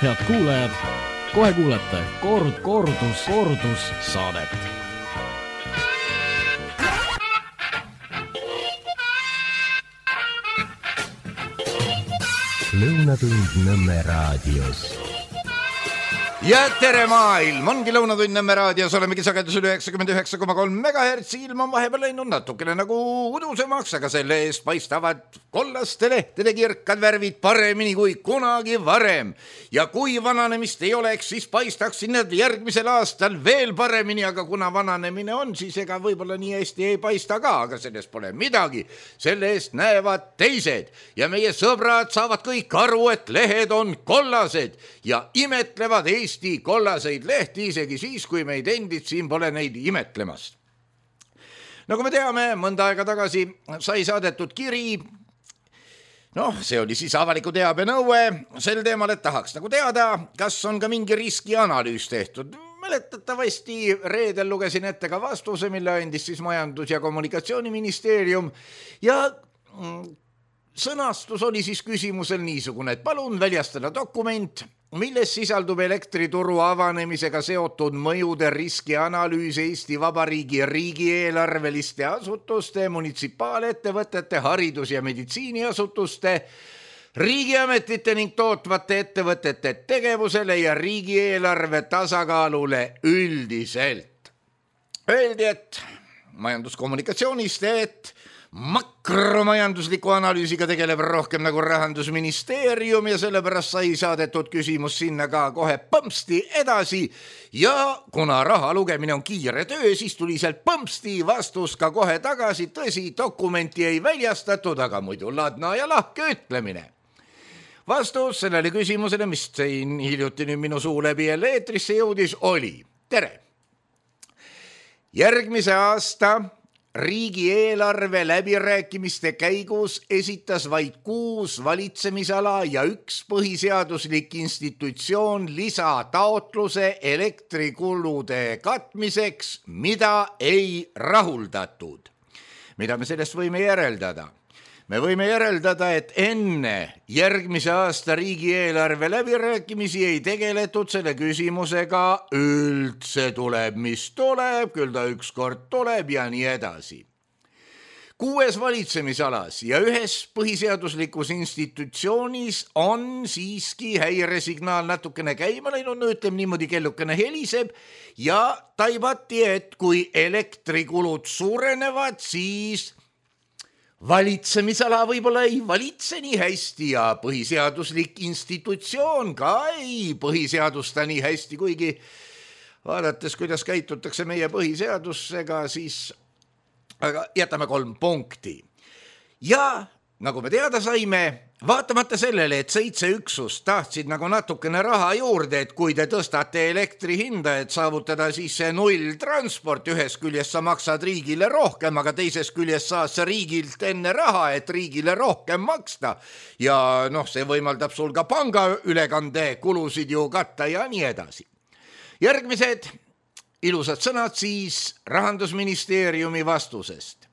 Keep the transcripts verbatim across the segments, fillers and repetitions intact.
Head kuulajad, kohe kuulete kord, kordus, kordus saadet. Lõunatund Nõmme raadios. Ja tere maailm, ongi Lõunatund Nõmme raadios, olemegi sagedusel üheksakümmend üheksa koma kolm megahertsi, ilm on vahepeal läinud natukene nagu udusemaks, aga selle eest paistavad kollaste lehtede kirkad värvid paremini kui kunagi varem. Ja kui vananemist ei oleks, siis paistaksid need järgmisel aastal veel paremini, aga kuna vananemine on, siis ega võib-olla nii hästi ei paista ka, aga sellest pole midagi. Selle eest näevad teised ja meie sõbrad saavad kõik aru, et lehed on kollased ja imetlevad Eesti Eesti kollaseid lehti isegi siis, kui meid endid siin pole neid imetlemast. Nagu me teame, mõnda aega tagasi sai saadetud kiri, noh, see oli siis avaliku teabe nõue sel teemal, et tahaks nagu teada, kas on ka mingi riskianalüüs tehtud. Mäletatavasti reedel lugesin ette ka vastuse, mille andis siis Majandus- ja Kommunikatsiooniministeerium ja sõnastus oli siis küsimusel niisugune, et palun väljastada dokument, milles sisaldub elektrituru avanemisega seotud mõjude riskianalüüs Eesti Vabariigi riigieelarveliste asutuste, munitsipaalettevõtete, haridus- ja meditsiiniasutuste, riigiametite ning tootvate ettevõtete tegevusele ja riigieelarve tasakaalule üldiselt. Öeldi, et majanduskommunikatsioonist, et makromajandusliku analüüsiga tegeleb rohkem nagu Rahandusministeerium ja sellepärast sai saadetud küsimus sinna ka kohe põmpsti edasi ja kuna raha lugemine on kiire töö, siis tuli sealt põmpsti vastus ka kohe tagasi. Tõsi, dokumenti ei väljastatud, aga muidu ladna ja lahke ütlemine. Vastus sellele küsimusele, mis siin hiljuti nüüd minu suu läbi jälle eetrisse jõudis, oli tere. Järgmise aasta riigieelarve läbirääkimiste käigus esitas vaid kuus valitsemisala ja üks põhiseaduslik institutsioon lisataotluse elektrikulude katmiseks, mida ei rahuldatud. Mida me sellest võime järeldada? Me võime järeldada, et enne järgmise aasta riigieelarve läbirääkimisi ei tegeletud selle küsimusega üldse tuleb, mis tuleb, küll ta ükskord tuleb ja nii edasi. Kuues valitsemisalas ja ühes põhiseaduslikus institutsioonis on siiski häiresignaal natukene käima läinud, no ütleme niimoodi, kellukene heliseb ja taibati, et kui elektrikulud suurenevad, siis valitsemisala võib-olla ei valitse nii hästi ja põhiseaduslik institutsioon ka ei põhiseadusta nii hästi, kuigi vaadates, kuidas käitutakse meie põhiseadusega, siis aga jätame kolm punkti. Ja nagu me teada saime, vaatamata sellele, et seitse üksust tahtsid nagu natukene raha juurde, et kui te tõstate elektri hinda, et saavutada siis see null transport, ühes küljest sa maksad riigile rohkem, aga teises küljest saad sa riigilt enne raha, et riigile rohkem maksta. Ja noh, see võimaldab sul ka panga ülekande kulusid ju katta ja nii edasi. Järgmised ilusad sõnad siis Rahandusministeeriumi vastusest.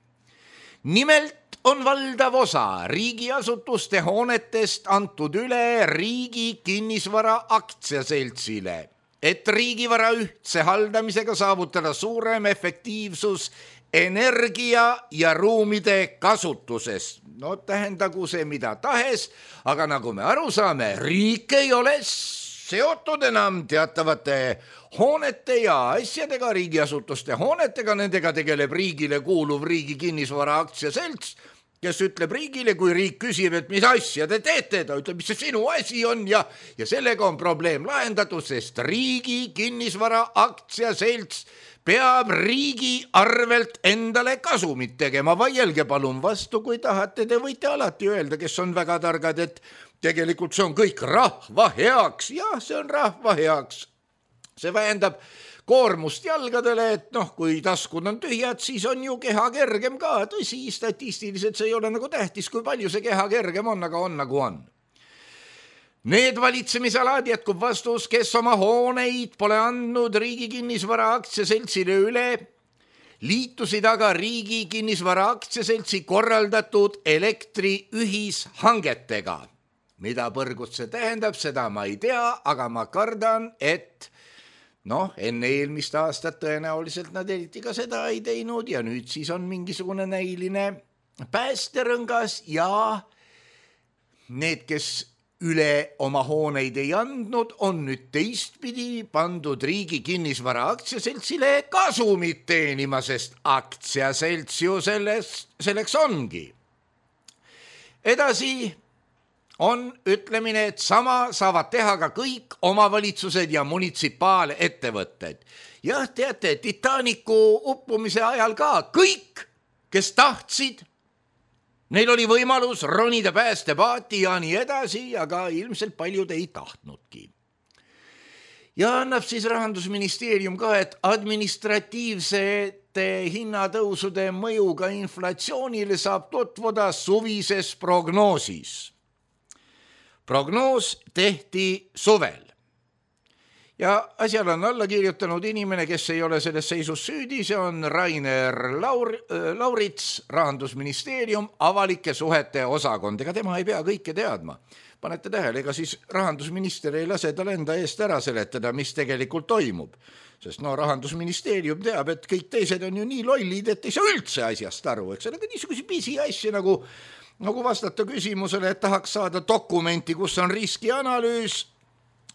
Nimelt on valdav osa riigiasutuste hoonetest antud üle riigi kinnisvara aktsiaseltsile, et riigivara ühtse haldamisega saavutada suurem efektiivsus energia ja ruumide kasutuses. No tähendagu see mida tahes, aga nagu me aru saame, riik ei ole seotud enam teatavate hoonete ja asjadega, riigiasutuste hoonetega, nendega tegeleb riigile kuuluv riigi kinnisvara aktsiaselts, kes ütleb riigile, kui riik küsib, et mis asja te teete, ta ütleb, mis see sinu asi on ja, ja sellega on probleem lahendatud, sest riigi kinnisvara aktsiaselts peab riigi arvelt endale kasumit tegema. Vaielge palun vastu, kui tahate, te võite alati öelda, kes on väga targad, et tegelikult see on kõik rahva heaks. Jah, see on rahva heaks. See vähendab koormust jalgadele, et noh, kui taskud on tühjad, siis on ju keha kergem ka. Tõsi, statistiliselt see ei ole nagu tähtis, kui palju see keha kergem on, aga on nagu on. Need valitsemisalad, jätkub vastus, kes oma hooneid pole andnud riigi kinnisvara aktsiaseltsile üle, liitusid aga riigi kinnisvara aktsiaseltsi korraldatud elektri ühishangetega. mida põrgut see tähendab, seda ma ei tea, aga ma kardan, et noh, enne eelmist aastat tõenäoliselt nad eriti ka seda ei teinud ja nüüd siis on mingisugune näiline päästerõngas ja need, kes üle oma hooneid ei andnud, on nüüd teistpidi pandud riigi kinnisvara aktsiaseltsile kasumit teenima, sest aktsiaselts ju selles, selleks ongi. Edasi on ütlemine, et sama saavad teha ka kõik omavalitsused ja munitsipaalettevõtted. Jah, teate, Titanicu uppumise ajal ka kõik, kes tahtsid, neil oli võimalus ronida päästepaati ja nii edasi, aga ilmselt paljud ei tahtnudki. Ja annab siis Rahandusministeerium ka, et administratiivsete hinnatõusude mõjuga inflatsioonile saab tutvuda suvises prognoosis. Prognoos tehti suvel. Ja asjal on alla kirjutanud inimene, kes ei ole selles seisus süüdi, see on Rainer Laur, Laurits, Rahandusministeerium, avalike suhete osakond. Ega tema ei pea kõike teadma. Panete tähele, ega siis rahandusminister ei lase tal enda eest ära seletada, mis tegelikult toimub. Sest no Rahandusministeerium teab, et kõik teised on ju nii lollid, et ei saa üldse asjast aru. Eks ole, niisuguse pisi asja nagu, nagu vastata küsimusele, et tahaks saada dokumenti, kus on riskianalüüs.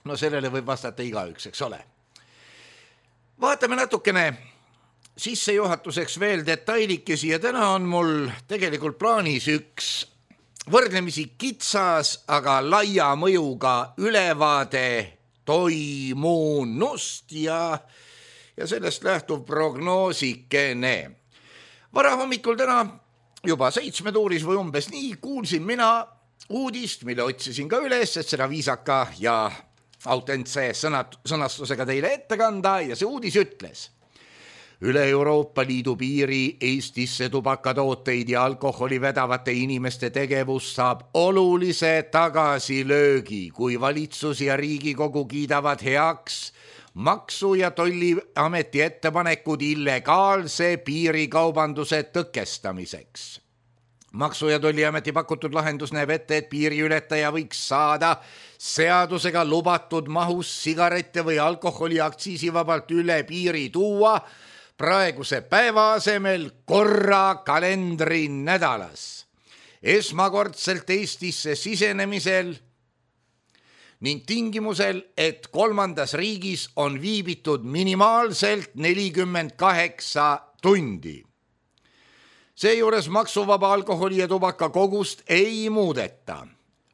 No sellele võib vastata igaüks, eks ole. Vaatame natukene sissejuhatuseks veel detailikesi ja täna on mul tegelikult plaanis üks võrdlemisi kitsas, aga laia mõjuga ülevaade toimunust ja, ja sellest lähtuv prognoosikene. Vara hommikul täna juba seitsme tuuris või umbes nii kuulsin mina uudist, mille otsisin ka üles, et seda viisaka ja autentse sõnastusega teile ette kanda ja see uudis ütles. Üle Euroopa Liidu piiri Eestisse tubakatooteid ja alkoholi vedavate inimeste tegevus saab olulise tagasilöögi, kui valitsus ja Riigikogu kiidavad heaks Maksu- ja Tolliameti ettepanekud illegaalse piirikaubanduse tõkestamiseks. Maksu- ja Tolliameti pakutud lahendus näeb ette, et piiriületaja võiks saada seadusega lubatud mahus sigarette või alkoholi aktsiisivabalt üle piiri tuua praeguse päeva asemel korra kalendri nädalas. Esmakordselt Eestisse sisenemisel ning tingimusel, et kolmandas riigis on viibitud minimaalselt nelikümmend kaheksa tundi. Seejuures maksuvaba alkoholi ja tubaka kogust ei muudeta.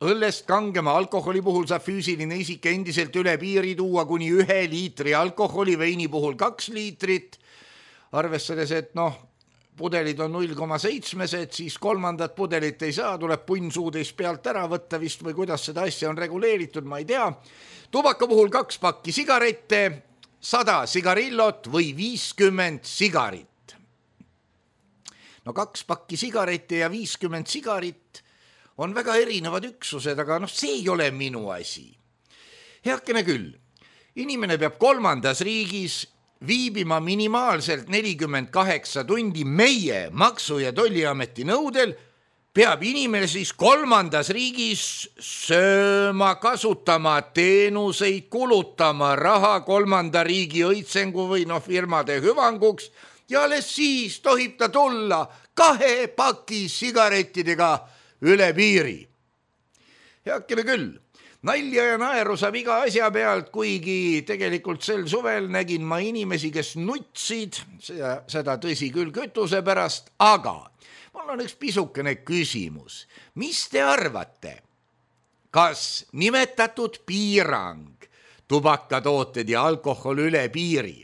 Õllest kangema alkoholi puhul saab füüsiline isik endiselt üle piiri tuua kuni ühe liitri alkoholi, veini puhul kaks liitrit. Arvestades, et noh, pudelid on null koma seitse, siis kolmandat pudelit ei saa, tuleb punnsuudeis pealt ära võtta vist või kuidas seda asja on reguleeritud, ma ei tea. Tubaka puhul kaks pakki sigarette, sada sigarillot või viiskümmend sigarit. No kaks pakki sigarette ja viiskümmend sigarit on väga erinevad üksused, aga noh, see ei ole minu asi. Heakene küll, inimene peab kolmandas riigis viibima minimaalselt nelikümmend kaheksa tundi meie Maksu- ja Tolliameti nõudel, peab inimene siis kolmandas riigis sööma, kasutama teenuseid, kulutama raha kolmanda riigi õitsengu või noh, firmade hüvanguks ja alles siis tohib ta tulla kahe paki sigarettidega üle piiri. Heakene küll, nalja ja naeru saab iga asja pealt, kuigi tegelikult sel suvel nägin ma inimesi, kes nutsid, seda, seda tõsi küll kütuse pärast, aga mul on üks pisukene küsimus. Mis te arvate? Kas nimetatud piirang, tubakatooted ja alkohol üle piiri,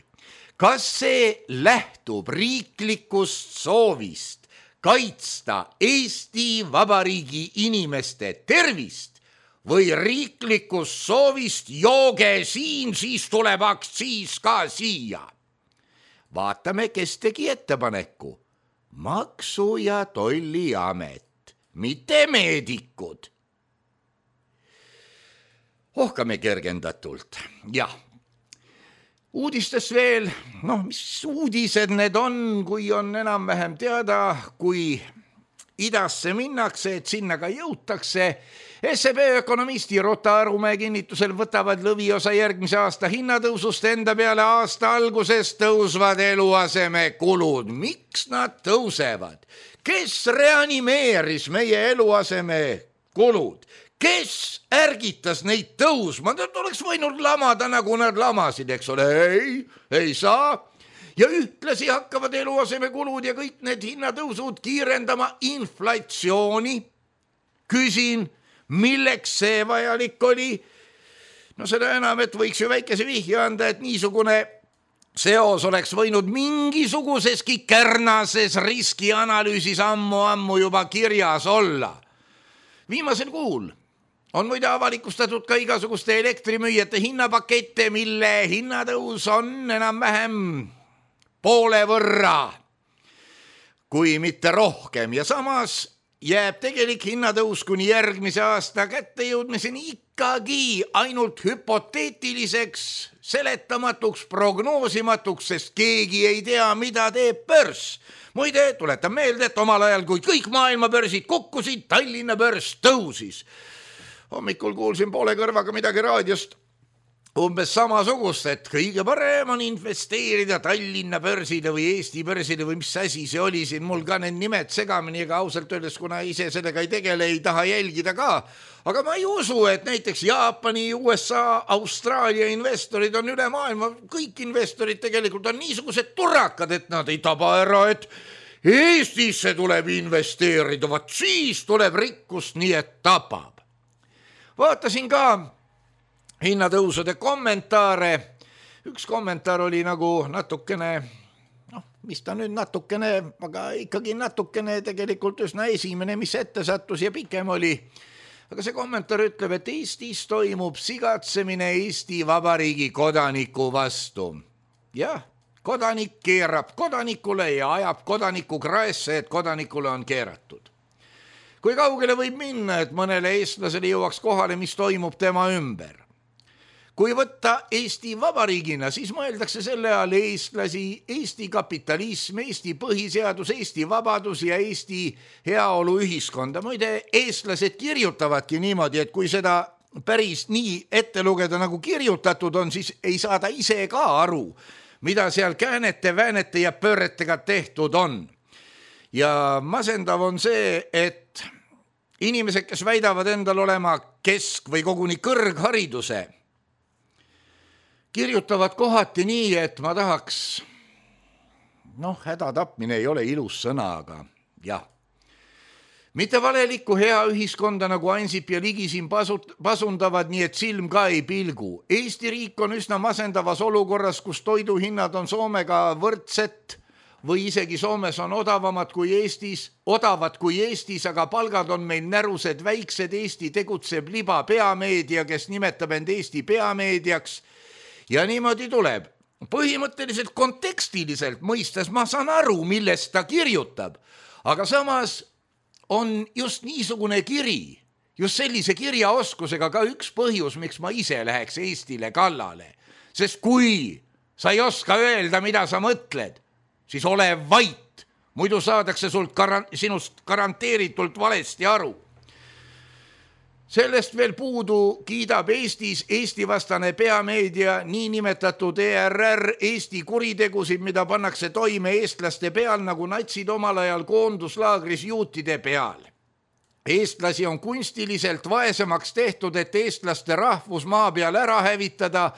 kas see lähtub riiklikust soovist kaitsta Eesti Vabariigi inimeste tervist või riiklikust soovist jooge siin, siis tuleb aktsiis ka siia? Vaatame, kes tegi ettepaneku. Maksu- ja Tolliamet, mitte meedikud. Ohkame kergendatult, jah. Uudistes veel, noh, mis uudised need on, kui on enam-vähem teada, kui idasse minnakse, et sinna ka jõutakse. S E B ökonomisti Rota Arumäe kinnitusel võtavad lõviosa järgmise aasta hinnatõusust enda peale aasta alguses tõusvad eluaseme kulud. Miks nad tõusevad? Kes reanimeeris meie eluaseme kulud? Kes ärgitas neid tõusma? Nad oleks võinud lamada, nagu nad lamasid, eks ole. Ei, ei saa. Ja ühtlasi hakkavad eluaseme kulud ja kõik need hinnatõusud kiirendama inflatsiooni. Küsin, milleks see vajalik oli? No seda enam, et võiks ju väikese vihje anda, et niisugune seos oleks võinud mingisuguseski kärnases riskianalüüsis ammu-ammu juba kirjas olla. Viimasel kuul on muide avalikustatud ka igasuguste elektrimüüjate hinnapakette, mille hinnatõus on enam-vähem poole võrra, kui mitte rohkem. Ja samas jääb tegelik hinnatõus kuni järgmise aasta kättejõudmiseni ikkagi ainult hüpoteetiliseks, seletamatuks, prognoosimatuks, sest keegi ei tea, mida teeb börs. Muide, tuletan meelde, et omal ajal, kui kõik maailma börsid kukkusid, Tallinna börs tõusis. Hommikul kuulsin poole kõrvaga midagi raadiost umbes samasugust, et kõige parem on investeerida Tallinna börsile või Eesti börsile või mis asi see oli siin, mul ka need nimed segamini, ega ausalt öeldes, kuna ise sellega ei tegele, ei taha jälgida ka. Aga ma ei usu, et näiteks Jaapani, U S A, Austraalia investorid on üle maailma, kõik investorid tegelikult on niisugused turrakad, et nad ei taba ära, et Eestisse tuleb investeerida, vaat siis tuleb rikkust, nii et tapab. Vaatasin ka hinnatõusude kommentaare. Üks kommentaar oli nagu natukene, noh, mis ta nüüd natukene, aga ikkagi natukene tegelikult üsna esimene, mis ette sattus ja pikem oli. Aga see kommentaar ütleb, et Eestis toimub sigatsemine Eesti Vabariigi kodaniku vastu. Jah, kodanik keerab kodanikule ja ajab kodaniku kraesse, et kodanikule on keeratud. Kui kaugele võib minna, et mõnele eestlasele jõuaks kohale, mis toimub tema ümber? Kui võtta Eesti Vabariigina, siis mõeldakse selle all eestlasi, Eesti kapitalism, Eesti põhiseadus, Eesti vabadus ja Eesti heaolu ühiskonda. Muide, eestlased kirjutavadki niimoodi, et kui seda päris nii ette lugeda nagu kirjutatud on, siis ei saada ise ka aru, mida seal käänete, väänete ja pööretega tehtud on. Ja masendav on see, et inimesed, kes väidavad endal olema kesk- või koguni kõrghariduse, kirjutavad kohati nii, et ma tahaks, noh, hädatapmine ei ole ilus sõna, aga jah. Mitte valelikku hea ühiskonda, nagu Ansip ja Ligi siin pasut, pasundavad, nii et silm ka ei pilgu. Eesti riik on üsna masendavas olukorras, kus toiduhinnad on Soomega võrdset või isegi Soomes on odavamad kui Eestis, odavad kui Eestis, aga palgad on meil närused väiksed. Eesti tegutseb liba peameedia, kes nimetab end Eesti peameediaks. Ja niimoodi tuleb. Põhimõtteliselt kontekstiliselt mõistes ma saan aru, millest ta kirjutab, aga samas on just niisugune kiri, just sellise kirjaoskusega ka üks põhjus, miks ma ise läheks Eestile kallale. Sest kui sa ei oska öelda, mida sa mõtled, siis ole vait, muidu saadakse sult garan- sinust garanteeritult valesti aru. Sellest veel puudu kiidab Eestis Eesti vastane peameedia, niinimetatud E R R, Eesti kuritegusid, mida pannakse toime eestlaste peal, nagu natsid omal ajal koonduslaagris juutide peal. Eestlasi on kunstiliselt vaesemaks tehtud, et eestlaste rahvus maa peal ära hävitada.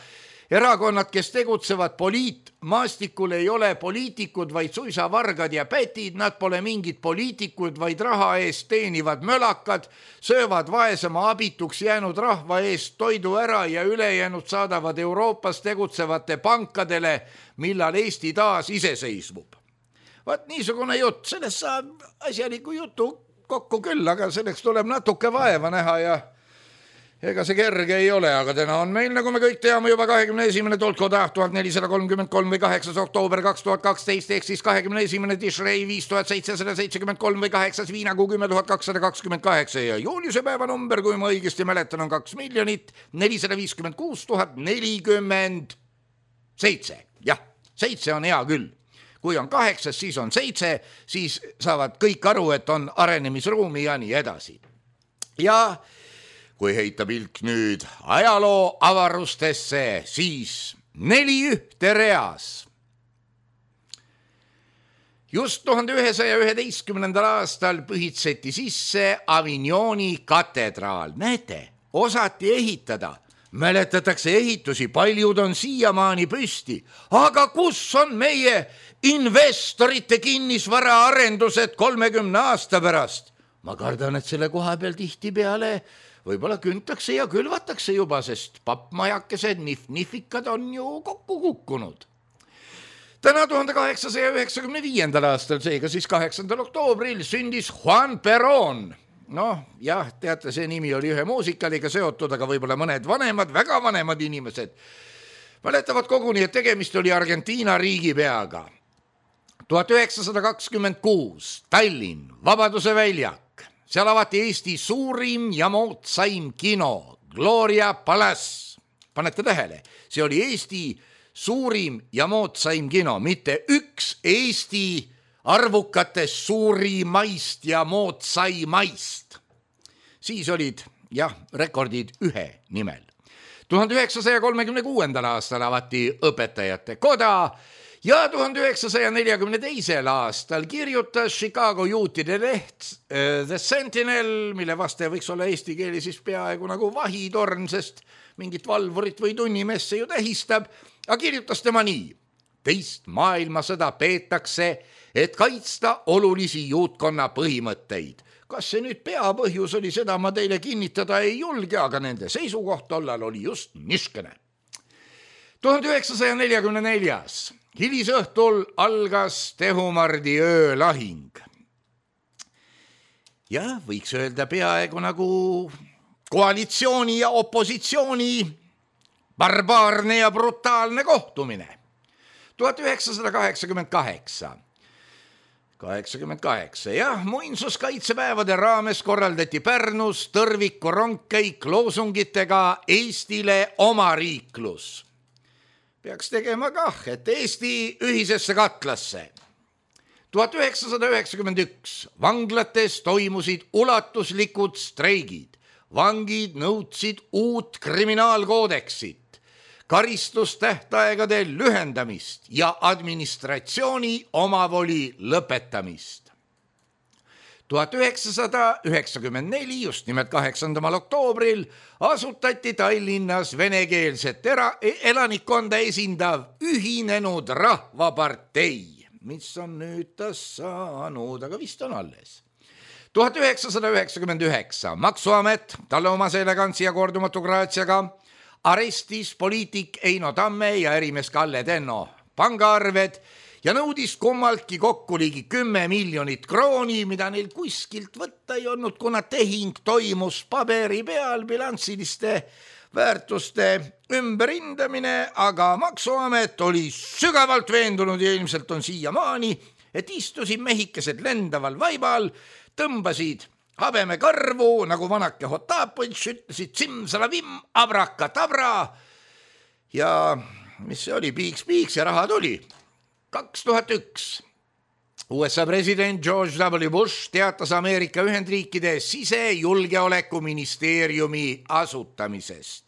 Erakonnad, kes tegutsevad poliitmaastikul, ei ole poliitikud, vaid suisa vargad ja pätid. Nad pole mingid poliitikud, vaid raha eest teenivad mölakad, söövad vaesema abituks jäänud rahva eest toidu ära ja ülejäänud saadavad Euroopas tegutsevate pankadele, millal Eesti taas iseseisvub. Vaat niisugune jutt, sellest saab asjaliku jutu kokku küll, aga selleks tuleb natuke vaeva näha ja ega see kerge ei ole, aga täna on meil, nagu me kõik teame, juba kahekümne esimene tolkoda tuhat nelisada kolmkümmend kolm või kaheksas oktoober kaks tuhat kaksteist, ehk siis kahekümne esimene Tishrei viis tuhat seitsesada seitsekümmend kolm või kaheksas Viinakuu kümme tuhat kakssada kakskümmend kaheksa ja juuliuse päeva number, kui ma õigesti mäletan, on kaks miljonit nelisada viiskümmend kuus tuhat nelikümmend seitse. Jah, seitse on hea küll. kui on kaheksas, siis on seitse, siis saavad kõik aru, et on arenemisruumi ja nii edasi. Ja kui heita pilk nüüd ajaloo avarustesse, siis neli ühte reas. Just tuhande ühesaja üheteistkümnendal aastal põhitseti sisse Avignoni katedraal. Näete, osati ehitada. Mäletatakse ehitusi, paljud on siiamaani püsti. Aga kus on meie investorite kinnisvara arendused kolmekümne aasta pärast? Ma kardan, et selle koha peal tihti peale võib-olla küntakse ja külvatakse juba, sest pappmajakesed nif-nifikad on ju kokku kukkunud. Täna tuhande kaheksasaja üheksakümne viiendal aastal, seega siis kaheksandal oktoobril, sündis Juan Perón. Noh, jah, teate, see nimi oli ühe muusikaliga seotud, aga võib-olla mõned vanemad, väga vanemad inimesed mäletavad koguni, et tegemist oli Argentiina riigipeaga. tuhat üheksasada kakskümmend kuus, Tallinn, Vabaduse väljak. Seal avati Eesti suurim ja moodsaim kino, Gloria Palace. Panete tähele, see oli Eesti suurim ja moodsaim kino, mitte üks Eesti arvukatest suurimaist ja moodsaimaist. Siis olid, jah, rekordid ühe nimel. tuhande üheksasaja kolmekümne kuuendal aastal avati õpetajate koda ja tuhande üheksasaja neljakümne teisel aastal kirjutas Chicago juutide leht uh, The Sentinel, mille vastaja võiks olla eesti keeli siis peaaegu nagu vahitorn, sest mingit valvurit või tunnimesse ju tähistab, aga kirjutas tema nii. Teist maailmasõda peetakse, et kaitsta olulisi juutkonna põhimõtteid. Kas see nüüd peapõhjus oli, seda ma teile kinnitada ei julge, aga nende seisukoht tollal oli just niškene. tuhande üheksasaja neljakümne neljas. Hilisõhtul algas Tehumardi öölahing. Ja võiks öelda peaaegu nagu koalitsiooni ja opositsiooni barbaarne ja brutaalne kohtumine. tuhat üheksasada kaheksakümmend kaheksa. kaheksakümmend kaheksa, jah, muinsuskaitsepäevade raames korraldati Pärnus tõrviku rongkäik loosungitega Eestile omariiklus. Peaks tegema kah, et Eesti ühisesse katlasse. tuhat üheksasada üheksakümmend üks. Vanglates toimusid ulatuslikud streigid. Vangid nõudsid uut kriminaalkoodeksit, karistustähtaegade lühendamist ja administratsiooni omavoli lõpetamist. tuhat üheksasada üheksakümmend neli, just nimelt kaheksandamal oktoobril, asutati Tallinnas venekeelset era- elanikkonda esindav Ühinenud Rahvapartei, mis on nüüd ta saanud, aga vist on alles. tuhat üheksasada üheksakümmend üheksa. Maksuamet talle omase elegantsi ja kordumatu graatsiaga arestis poliitik Eino Tamme ja ärimees Kalle Tenno pangaarved ja nõudis kummaltki kokku ligi kümme miljonit krooni, mida neil kuskilt võtta ei olnud, kuna tehing toimus paberi peal, bilanssiliste väärtuste ümberhindamine, aga Maksuamet oli sügavalt veendunud ja ilmselt on siiamaani, et istusid mehikesed lendaval vaibal, tõmbasid habeme karvu, nagu vanake Hotapõtš, ütlesid simsalavim, abrakatabra ja mis see oli, piiks-piiks ja raha tuli. kaks tuhat üks. U S A president George W. Bush teatas Ameerika Ühendriikide sisejulgeolekuministeeriumi asutamisest.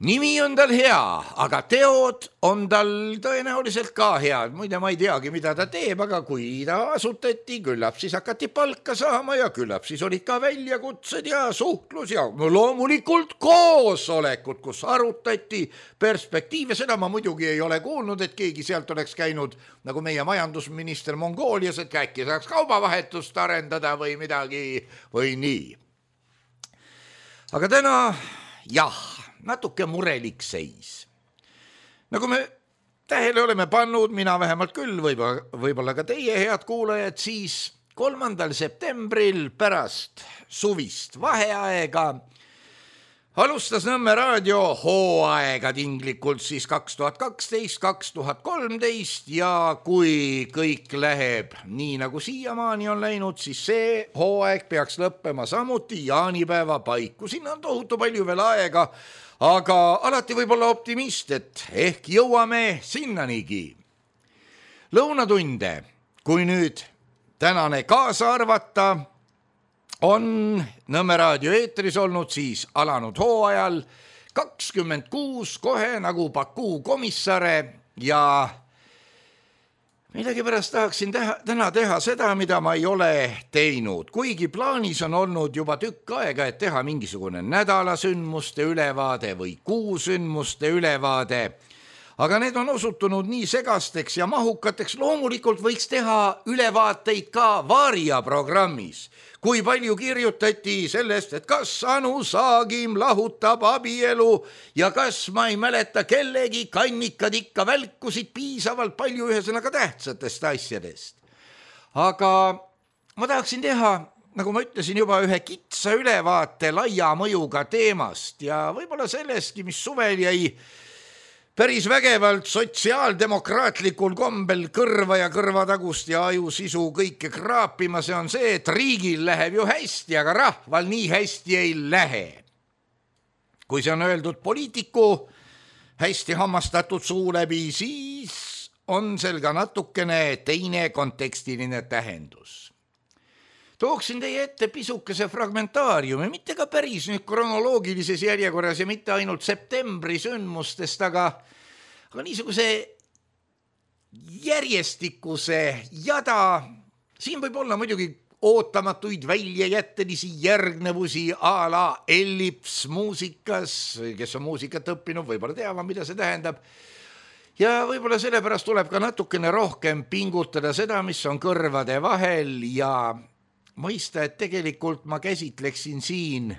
Nimi on tal hea, aga teod on tal tõenäoliselt ka head. Muide, ma ei teagi, mida ta teeb, aga kui ta asutati, küllap siis hakati palka saama ja küllap siis olid ka väljakutsed ja suhtlus ja loomulikult koosolekud, kus arutati perspektiive. Seda ma muidugi ei ole kuulnud, et keegi sealt oleks käinud nagu meie majandusminister Mongoolias, et äkki saaks kaubavahetust arendada või midagi või nii. Aga täna, jah, natuke murelik seis. Nagu me tähele oleme pannud, mina vähemalt küll, võib-olla, võib-olla ka teie, head kuulajad, siis kolmandal septembril pärast suvist vaheaega alustas Nõmme raadio hooaega tinglikult siis kaks tuhat kaksteist kaks tuhat kolmteist ja kui kõik läheb nii, nagu siiamaani on läinud, siis see hooaeg peaks lõppema samuti jaanipäeva paiku. Sinna on tohutu palju veel aega, aga alati võib olla optimist, et ehk jõuame sinnanigi. lõunatunde, kui nüüd tänane kaasa arvata, on Nõmme raadio eetris olnud siis alanud hooajal kakskümmend kuus kohe nagu Bakuu komissare ja millegipärast tahaksin teha, täna teha seda, mida ma ei ole teinud, kuigi plaanis on olnud juba tükk aega, et teha mingisugune nädalasündmuste ülevaade või kuusündmuste ülevaade, aga need on osutunud nii segasteks ja mahukateks. Loomulikult võiks teha ülevaateid ka Varia programmis, kui palju kirjutati sellest, et kas Anu Saagim lahutab abielu ja kas ma ei mäleta kellegi kannikad ikka välkusid piisavalt palju ühesõnaga tähtsatest asjadest. Aga ma tahaksin teha, nagu ma ütlesin juba, ühe kitsa ülevaate laia mõjuga teemast ja võib-olla sellestki, mis suvel jäi päris vägevalt sotsiaaldemokraatlikul kombel kõrva ja kõrvatagust ja ajusisu kõike kraapima. See on see, et riigil läheb ju hästi, aga rahval nii hästi ei lähe. Kui see on öeldud poliitiku hästi hammastatud suu läbi, siis on seal ka natukene teine kontekstiline tähendus. Tooksin teie ette pisukese fragmentaariumi, mitte ka päris nüüd kronoloogilises järjekorras ja mitte ainult septembri sündmustest, aga, aga niisuguse järjestikuse jada. Siin võib olla muidugi ootamatuid väljajättelisi järgnevusi a la ellips muusikas, kes on muusikat õppinud, võib-olla teavad, mida see tähendab. Ja võib-olla sellepärast tuleb ka natukene rohkem pingutada seda, mis on kõrvade vahel ja mõista, et tegelikult ma käsitleksin siin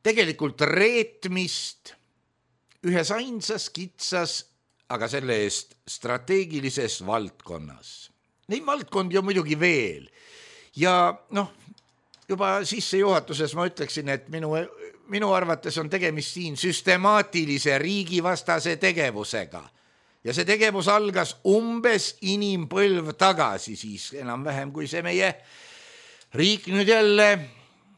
tegelikult reetmist ühes ainsas kitsas, aga selle eest strateegilises valdkonnas. Neid valdkondi on muidugi veel ja noh, juba sissejuhatuses ma ütleksin, et minu, minu arvates on tegemist siin süstemaatilise riigivastase tegevusega. Ja see tegevus algas umbes inimpõlv tagasi, siis enam vähem kui see meie riik nüüd jälle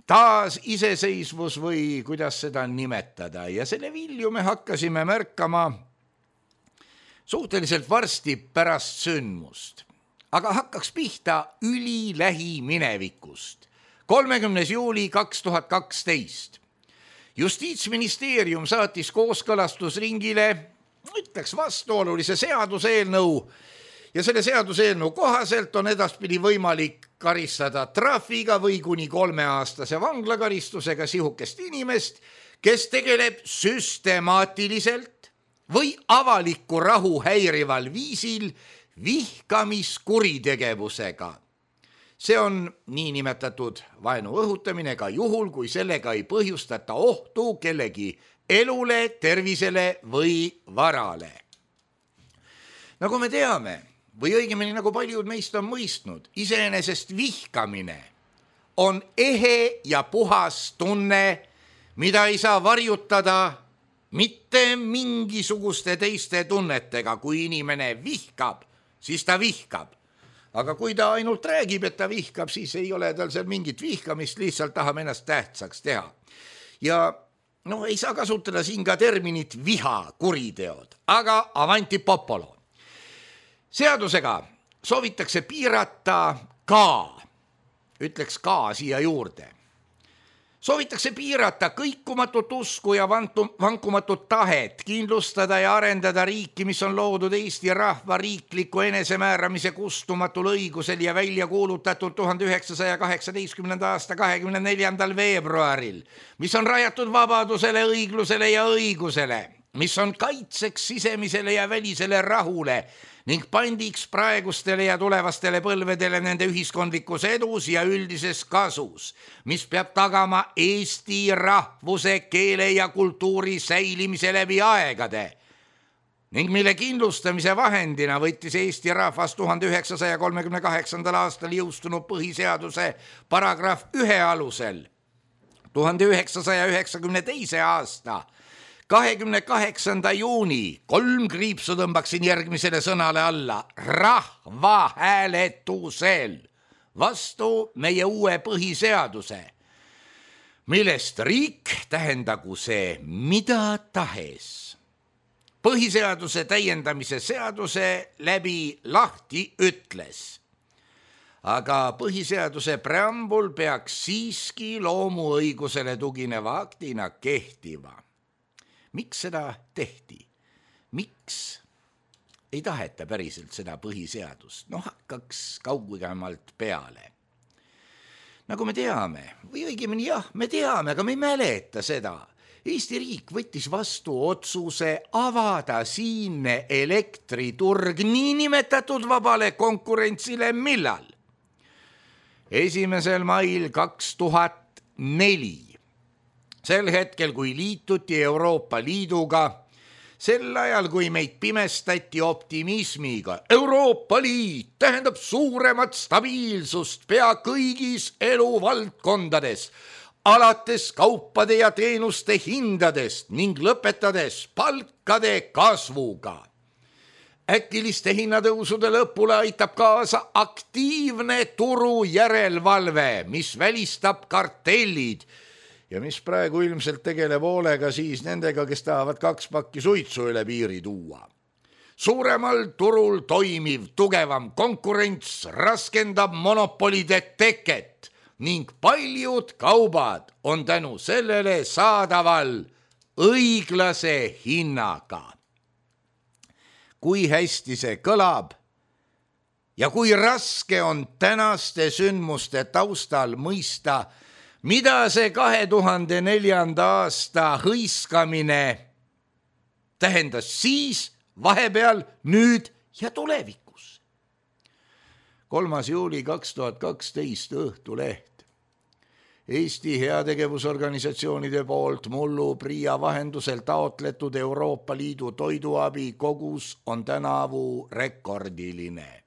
taas iseseisvus või kuidas seda nimetada. Ja selle vilju me hakkasime märkama suhteliselt varsti pärast sündmust. Aga hakkaks pihta ülilähi minevikust. kolmekümnes juuli kaks tuhat kaksteist. Justiitsministeerium saatis kooskõlastusringile ütleks vastuolulise seaduseelnõu ja selle seaduseelnõu kohaselt on edaspidi võimalik karistada trahviga või kuni kolmeaastase vanglakaristusega sihukest inimest, kes tegeleb süstemaatiliselt või avalikku rahu häirival viisil vihkamiskuritegevusega. See on niinimetatud vaenu õhutamine ka juhul, kui sellega ei põhjustata ohtu kellegi elule, tervisele või varale. Nagu me teame, või õigemini nagu paljud meist on mõistnud, iseenesest vihkamine on ehe ja puhas tunne, mida ei saa varjutada mitte mingisuguste teiste tunnetega. Kui inimene vihkab, siis ta vihkab. Aga kui ta ainult räägib, et ta vihkab, siis ei ole tal seal mingit vihkamist, lihtsalt tahab ennast tähtsaks teha. Ja no ei saa kasutada siin ka terminit viha kuriteod, aga avanti popolo. Seadusega soovitakse piirata ka, ütleks ka siia juurde. Soovitakse piirata kõikumatut usku ja vankumatut tahet, kindlustada ja arendada riiki, mis on loodud Eesti rahva riikliku enesemääramise kustumatul õigusel ja välja kuulutatud tuhande üheksasaja kaheksateistkümnenda aasta kahekümne neljandal veebruaril, mis on rajatud vabadusele, õiglusele ja õigusele, mis on kaitseks sisemisele ja välisele rahule ning pandiks praegustele ja tulevastele põlvedele nende ühiskondlikus edus ja üldises kasus, mis peab tagama Eesti rahvuse, keele ja kultuuri säilimise läbi aegade ning mille kindlustamise vahendina võttis Eesti rahvas tuhande üheksasaja kolmekümne kaheksandal aastal jõustunud põhiseaduse paragrahv ühe alusel tuhande üheksasaja üheksakümne teise aasta kahekümne kaheksanda juuni, kolm kriipsu tõmbaksin järgmisele sõnale alla, rahvahääletusel vastu meie uue põhiseaduse, millest riik tähendagu see mida tahes. põhiseaduse täiendamise seaduse läbi lahti ütles. Aga põhiseaduse preambul peaks siiski loomuõigusele tugineva aktina kehtiva. Miks seda tehti? Miks ei taheta päriselt seda põhiseadust? No hakkaks kaugemalt peale. Nagu me teame, või õigemini jah, me teame, aga me ei mäleta seda. Eesti riik võttis vastu otsuse avada siinne elektriturg niinimetatud vabale konkurentsile millal? esimesel mail kaks tuhat neli. Sel hetkel, kui liituti Euroopa Liiduga, sel ajal, kui meid pimestati optimismiga, Euroopa Liit tähendab suuremat stabiilsust pea kõigis eluvaldkondades, alates kaupade ja teenuste hindadest ning lõpetades palkade kasvuga. Äkiliste hinnatõusude lõpule aitab kaasa aktiivne turu järelevalve, mis välistab kartellid ja mis praegu ilmselt tegeleb hoolega siis nendega, kes tahavad kaks pakki suitsu üle piiri tuua. Suuremal turul toimiv tugevam konkurents raskendab monopolide teket ning paljud kaubad on tänu sellele saadaval õiglase hinnaga. Kui hästi see kõlab ja kui raske on tänaste sündmuste taustal mõista, mida see kahe tuhande neljanda aasta hõiskamine tähendas siis, vahepeal, nüüd ja tulevikus. kolmas juuli kaks tuhat kaksteist Õhtuleht. Eesti heategevusorganisatsioonide poolt mullu PRIA vahendusel taotletud Euroopa Liidu toiduabi kogus on tänavu rekordiline.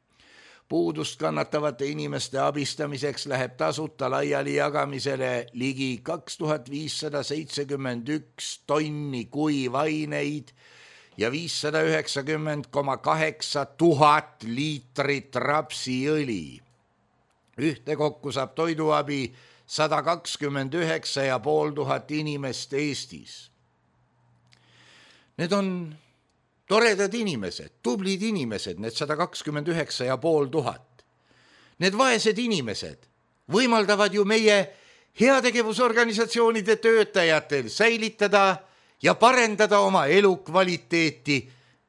Puudust kannatavate inimeste abistamiseks läheb tasuta laiali jagamisele ligi kaks tuhat viissada seitsekümmend üks tonni kuivaineid ja viissada üheksakümmend koma kaheksa tuhat liitrit rapsiõli. Ühtekokku saab toiduabi sada kakskümmend üheksa ja pool tuhat inimest Eestis. Need on toredad inimesed, tublid inimesed, need sada kakskümmend üheksa ja pool tuhat. Need vaesed inimesed võimaldavad ju meie heategevusorganisatsioonide töötajatel säilitada ja parendada oma elukvaliteeti.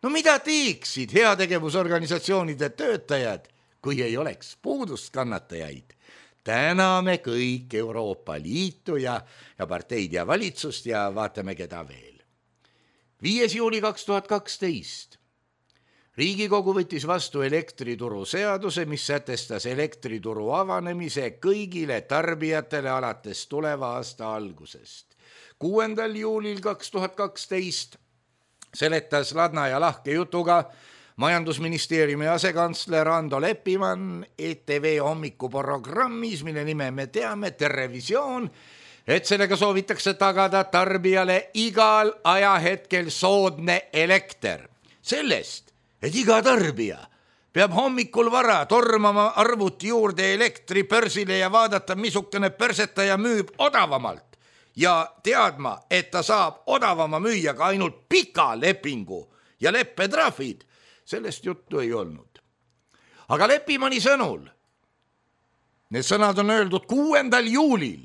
No mida teeksid heategevusorganisatsioonide töötajad, kui ei oleks puudust kannatajaid? Täname kõik Euroopa Liitu ja, ja parteid ja valitsust ja vaatame, keda veel. viies juuli kaks tuhat kaksteist. Riigikogu võttis vastu elektrituru seaduse, mis sätestas elektrituru avanemise kõigile tarbijatele alates tuleva aasta algusest. kuuendal juulil kaks tuhat kaksteist seletas ladna ja lahke jutuga majandusministeeriumi asekantsler Ando Leppimann E T V hommikuprogrammis, mille nime me teame, Terevisioon, et sellega soovitakse tagada tarbijale igal ajahetkel soodne elekter. Sellest, et iga tarbija peab hommikul vara tormama arvuti juurde elektripörsile ja vaadata, missugune persetaja müüb odavamalt ja teadma, et ta saab odavama müüa ka ainult pika lepingu ja leppetrahvid. Sellest juttu ei olnud. Aga Leppimanni sõnul, need sõnad on öeldud kuuendal juulil,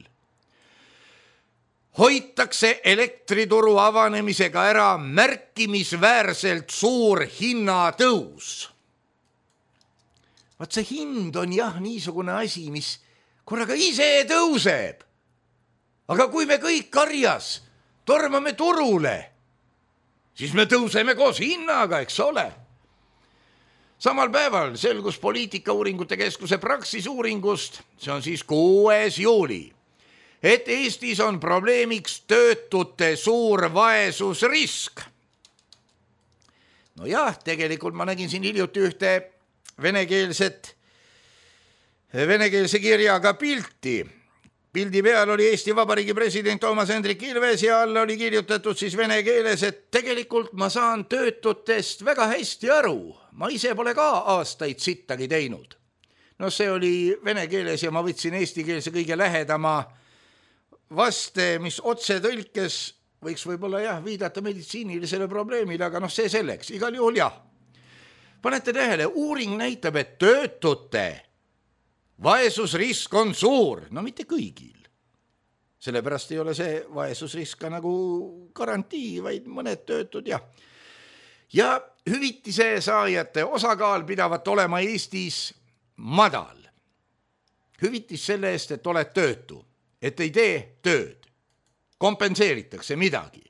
hoitakse elektrituru avanemisega ära märkimisväärselt suur hinnatõus. Vaat see hind on jah niisugune asi, mis korraga ise tõuseb. Aga kui me kõik karjas tormame turule, siis me tõuseme koos hinnaga, eks ole. Samal päeval selgus poliitikauuringute keskuse Praxis uuringust, see on siis kuues juuli, et Eestis on probleemiks töötute suur vaesusrisk. No jah, tegelikult ma nägin siin hiljuti ühte venekeelset, venekeelse kirjaga pilti. Pildi peal oli Eesti Vabariigi president Toomas Hendrik Ilves ja all oli kirjutatud siis vene keeles, et tegelikult ma saan töötutest väga hästi aru. Ma ise pole ka aastaid sittagi teinud. No see oli vene keeles ja ma võtsin eesti keelse kõige lähedama vaste, mis otse tõlkes võiks võib-olla jah viidata meditsiinilisele probleemile, aga noh, see selleks, igal juhul jah. Panete tähele, uuring näitab, et töötute vaesusrisk on suur, no mitte kõigil. Sellepärast ei ole see vaesusrisk ka nagu garantii, vaid mõned töötud jah. Ja hüvitise saajate osakaal pidavat olema Eestis madal. Hüvitis selle eest, et oled töötu, et ei tee tööd, kompenseeritakse midagi.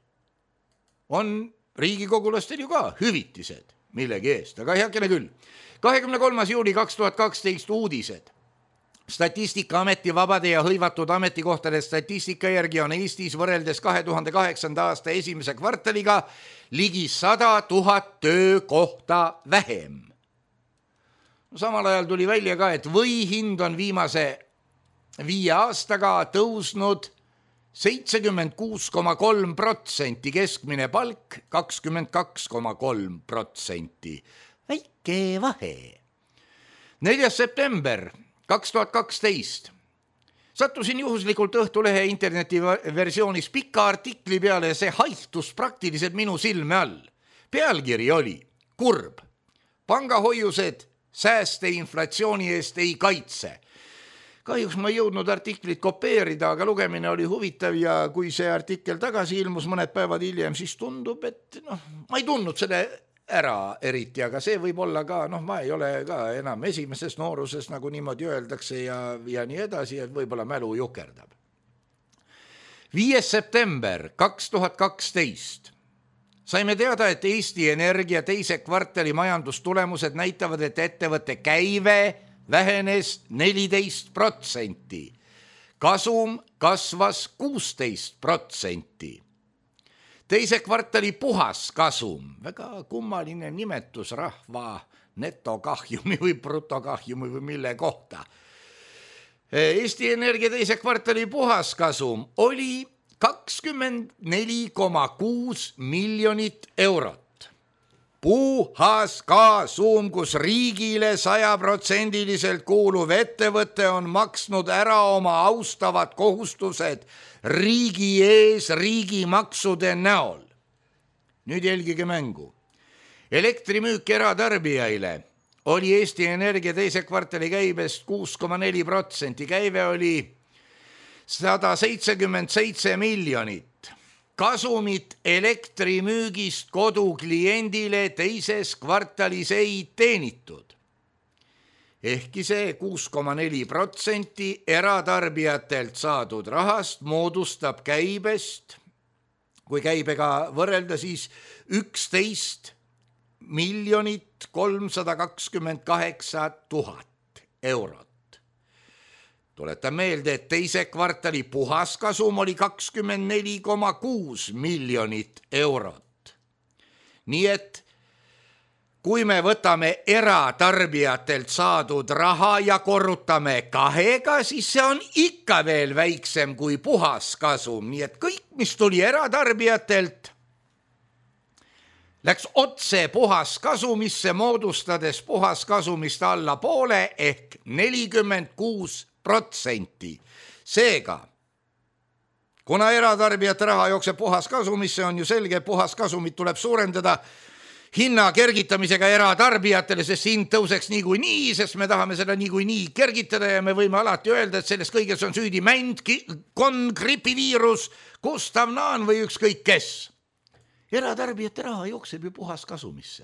On riigikogulastel ju ka hüvitised millegi eest, aga heakene küll. kahekümne kolmas juuli kaks tuhat kaksteist uudised. Statistikaameti vabade ja hõivatud ametikohtade statistika järgi on Eestis võrreldes kahe tuhande kaheksanda aasta esimese kvartaliga ligi sada tuhat töökohta vähem. Samal ajal tuli välja ka, et võihind on viimase viie aastaga tõusnud seitsekümmend kuus koma kolm protsenti, keskmine palk kakskümmend kaks koma kolm protsenti. Väike vahe. neljas september kaks tuhat kaksteist. Sattusin juhuslikult Õhtulehe internetiversioonis pika artikli peale ja see haihtus praktiliselt minu silme all. Pealkiri oli kurb. Pangahoiused sääste inflatsiooni eest ei kaitse. Kahjuks ma ei jõudnud artiklit kopeerida, aga lugemine oli huvitav ja kui see artikkel tagasi ilmus mõned päevad hiljem, siis tundub, et noh, ma ei tundnud selle ära eriti, aga see võib olla ka, noh, ma ei ole ka enam esimeses nooruses, nagu niimoodi öeldakse ja, ja nii edasi, et võib-olla mälu jukerdab. viies september kaks tuhat kaksteist. Saime teada, et Eesti Energia teise kvartali majandustulemused näitavad, et ettevõtte käive vähenes neliteist protsenti. Kasum kasvas kuusteist protsenti. Teise kvartali puhas kasum, väga kummaline nimetus rahva netokahjumi või brutokahjumi või mille kohta. Eesti Energia teise kvartali puhas kasum oli kakskümmend neli koma kuus miljonit eurot. Puhas kasum, kus riigile sajaprotsendiliselt kuuluv ettevõte on maksnud ära oma austavad kohustused riigi ees riigimaksude näol. Nüüd jälgige mängu. Elektrimüük eratarbijaile oli Eesti Energia teise kvartali käibest kuus koma neli protsenti. Käive oli sada seitsekümmend seitse miljonit. Kasumit elektrimüügist kodukliendile teises kvartalis ei teenitud. Ehkki see kuus koma neli protsenti eratarbijatelt saadud rahast moodustab käibest, kui käibega võrrelda, siis üksteist miljonit kolmsada kakskümmend kaheksa tuhat eurot. Tuletan meelde, et teise kvartali puhaskasum oli kakskümmend neli koma kuus miljonit eurot. Nii et kui me võtame eratarbijatelt saadud raha ja korrutame kahega, siis see on ikka veel väiksem kui puhaskasum. Nii et kõik, mis tuli eratarbijatelt, läks otse puhaskasumisse, moodustades puhaskasumist alla poole ehk nelikümmend kuus protsenti. Seega, kuna eratarbijate raha jookseb puhaskasumisse, on ju selge, et puhaskasumit tuleb suurendada hinna kergitamisega eratarbijatele, sest hind tõuseks niikuinii, sest me tahame seda niikuinii kergitada ja me võime alati öelda, et selles kõiges on süüdi mänd, kon, gripiviirus, Gustav Naan või ükskõik kes. Eratarbijate raha jookseb ju puhaskasumisse.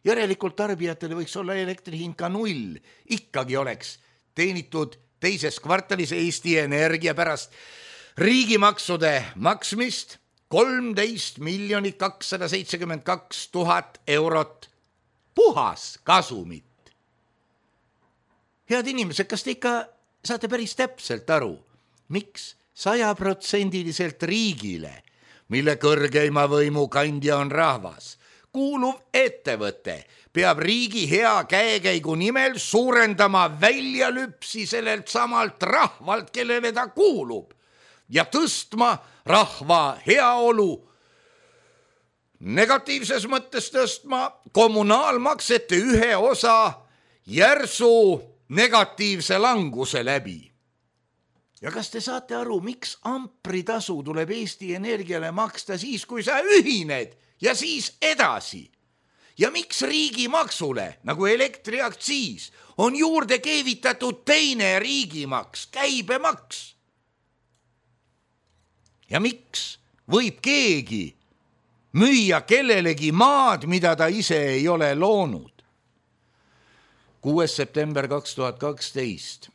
Järelikult tarbijatele võiks olla elektrihind ka null. Ikkagi oleks teenitud teises kvartalis Eesti Energia pärast riigimaksude maksmist kolmteist miljonit kakssada seitsekümmend kaks tuhat eurot puhas kasumit. Head inimesed, kas te ikka saate päris täpselt aru, miks sajaprotsendiliselt riigile, mille kõrgeima võimu kandja on rahvas, kuuluv ettevõte peab riigi hea käekäigu nimel suurendama väljalüpsi sellelt samalt rahvalt, kellele ta kuulub, ja tõstma rahva heaolu, negatiivses mõttes tõstma kommunaalmaksete ühe osa järsu negatiivse languse läbi. ja kas te saate aru, miks ampritasu tuleb Eesti Energiale maksta siis, kui sa ühined ja siis edasi? Ja miks riigimaksule, nagu elektriaktsiis, on juurde keevitatud teine riigimaks, käibemaks? Ja miks võib keegi müüa kellelegi maad, mida ta ise ei ole loonud? kuues september kaks tuhat kaksteist.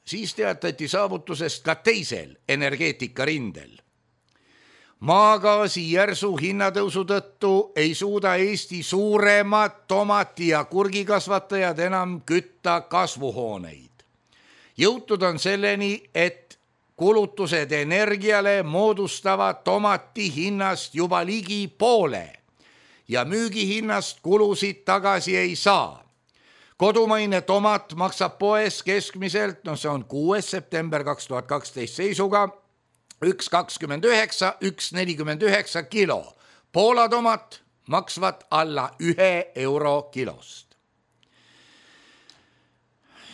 Siis teatati saavutusest ka teisel energeetikarindel. Maagaasi järsu hinnatõusu tõttu ei suuda Eesti suuremad tomati- ja kurgikasvatajad enam kütta kasvuhooneid. Jõutud on selleni, et kulutused energiale moodustavad tomati hinnast juba ligi poole ja müügihinnast kulusid tagasi ei saa. Kodumaine tomat maksab poes keskmiselt, no see on kuues september kaks tuhat kaksteist seisuga, üks kakskümmend üheksa, üks nelikümmend üheksa kilo. Poola tomat maksvad alla ühe euro kilost.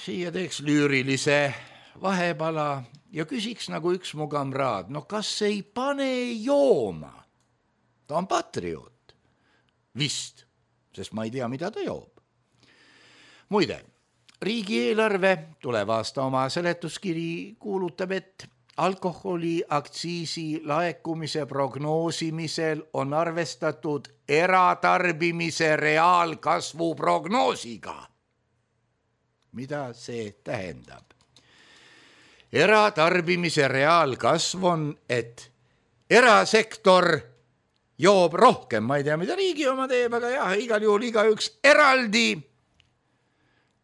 Siia teeks lüürilise vahepala ja küsiks nagu üks mu kamraad, no kas ei pane jooma? Ta on patrioot. Vist, sest ma ei tea, mida ta joob. Muide, riigieelarve tuleb aasta oma seletuskiri kuulutab, et alkoholi aktsiisi laekumise prognoosimisel on arvestatud eratarbimise reaalkasvu prognoosiga. Mida see tähendab? Eratarbimise reaalkasv on, et erasektor joob rohkem, ma ei tea, mida riigi oma teeb, aga jah, igal juhul igaüks eraldi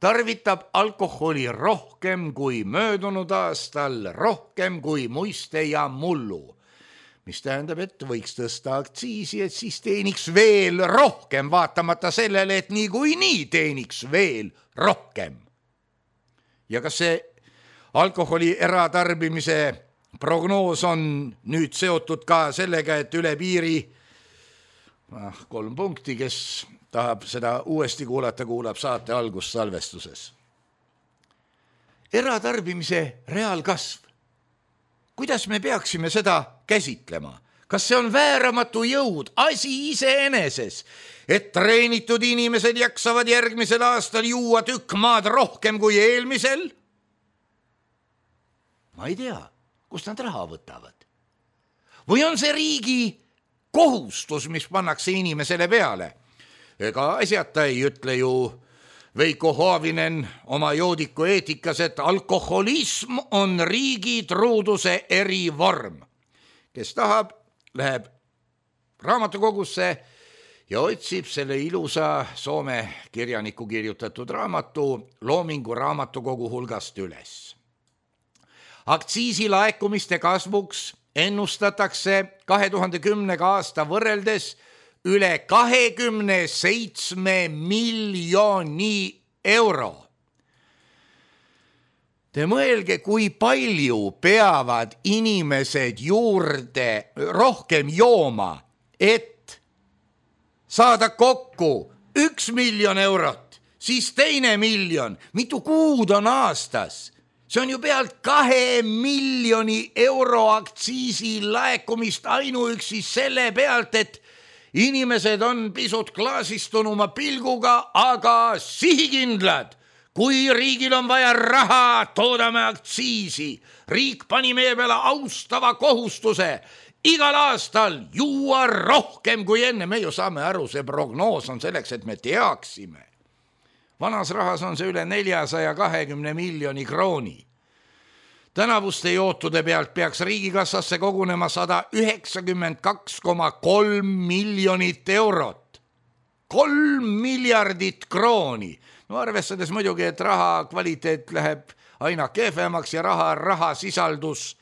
tarvitab alkoholi rohkem kui möödunud aastal, rohkem kui muiste ja mullu, mis tähendab, et võiks tõsta aktsiisi, et siis teeniks veel rohkem, vaatamata sellele, et nii kui nii teeniks veel rohkem. Ja kas see alkoholi eratarbimise prognoos on nüüd seotud ka sellega, et üle piiri ah, kolm punkti, kes tahab seda uuesti kuulata, kuulab saate algust salvestuses. Eratarbimise reaalkasv. Kuidas me peaksime seda käsitlema? Kas see on vääramatu jõud, asi iseeneses, et treenitud inimesed jaksavad järgmisel aastal juua tükk maad rohkem kui eelmisel? Ma ei tea, kust nad raha võtavad. Või on see riigi kohustus, mis pannakse inimesele peale? Ega asjata ei ütle ju Veiko Hoavinen oma joodiku eetikas, et alkoholism on riigi truuduse erivorm. Kes tahab, läheb raamatukogusse ja otsib selle ilusa Soome kirjaniku kirjutatud raamatu Loomingu raamatukogu hulgast üles. Aktsiisi laekumiste kasvuks ennustatakse kahe tuhande kümnenda aasta võrreldes üle kahekümne seitsme miljoni euro. Te mõelge, kui palju peavad inimesed juurde rohkem jooma, et saada kokku üks miljon eurot, siis teine miljon, mitu kuud on aastas. See on ju pealt kahe miljoni euro aktsiisi laekumist ainuüksi selle pealt, et inimesed on pisut klaasistunuma pilguga, aga sihikindlad. Kui riigil on vaja raha, toodame aktsiisi. Riik pani meie peale austava kohustuse igal aastal juua rohkem kui enne. Me ju saame aru, see prognoos on selleks, et me teaksime. Vanas rahas on see üle neljasaja kahekümne miljoni krooni. Tänavuste jootude pealt peaks riigikassasse kogunema sada üheksakümmend kaks koma kolm miljonit eurot. Kolm miljardit krooni. No arvestades muidugi, et raha kvaliteet läheb aina kehvemaks ja raha, raha sisaldus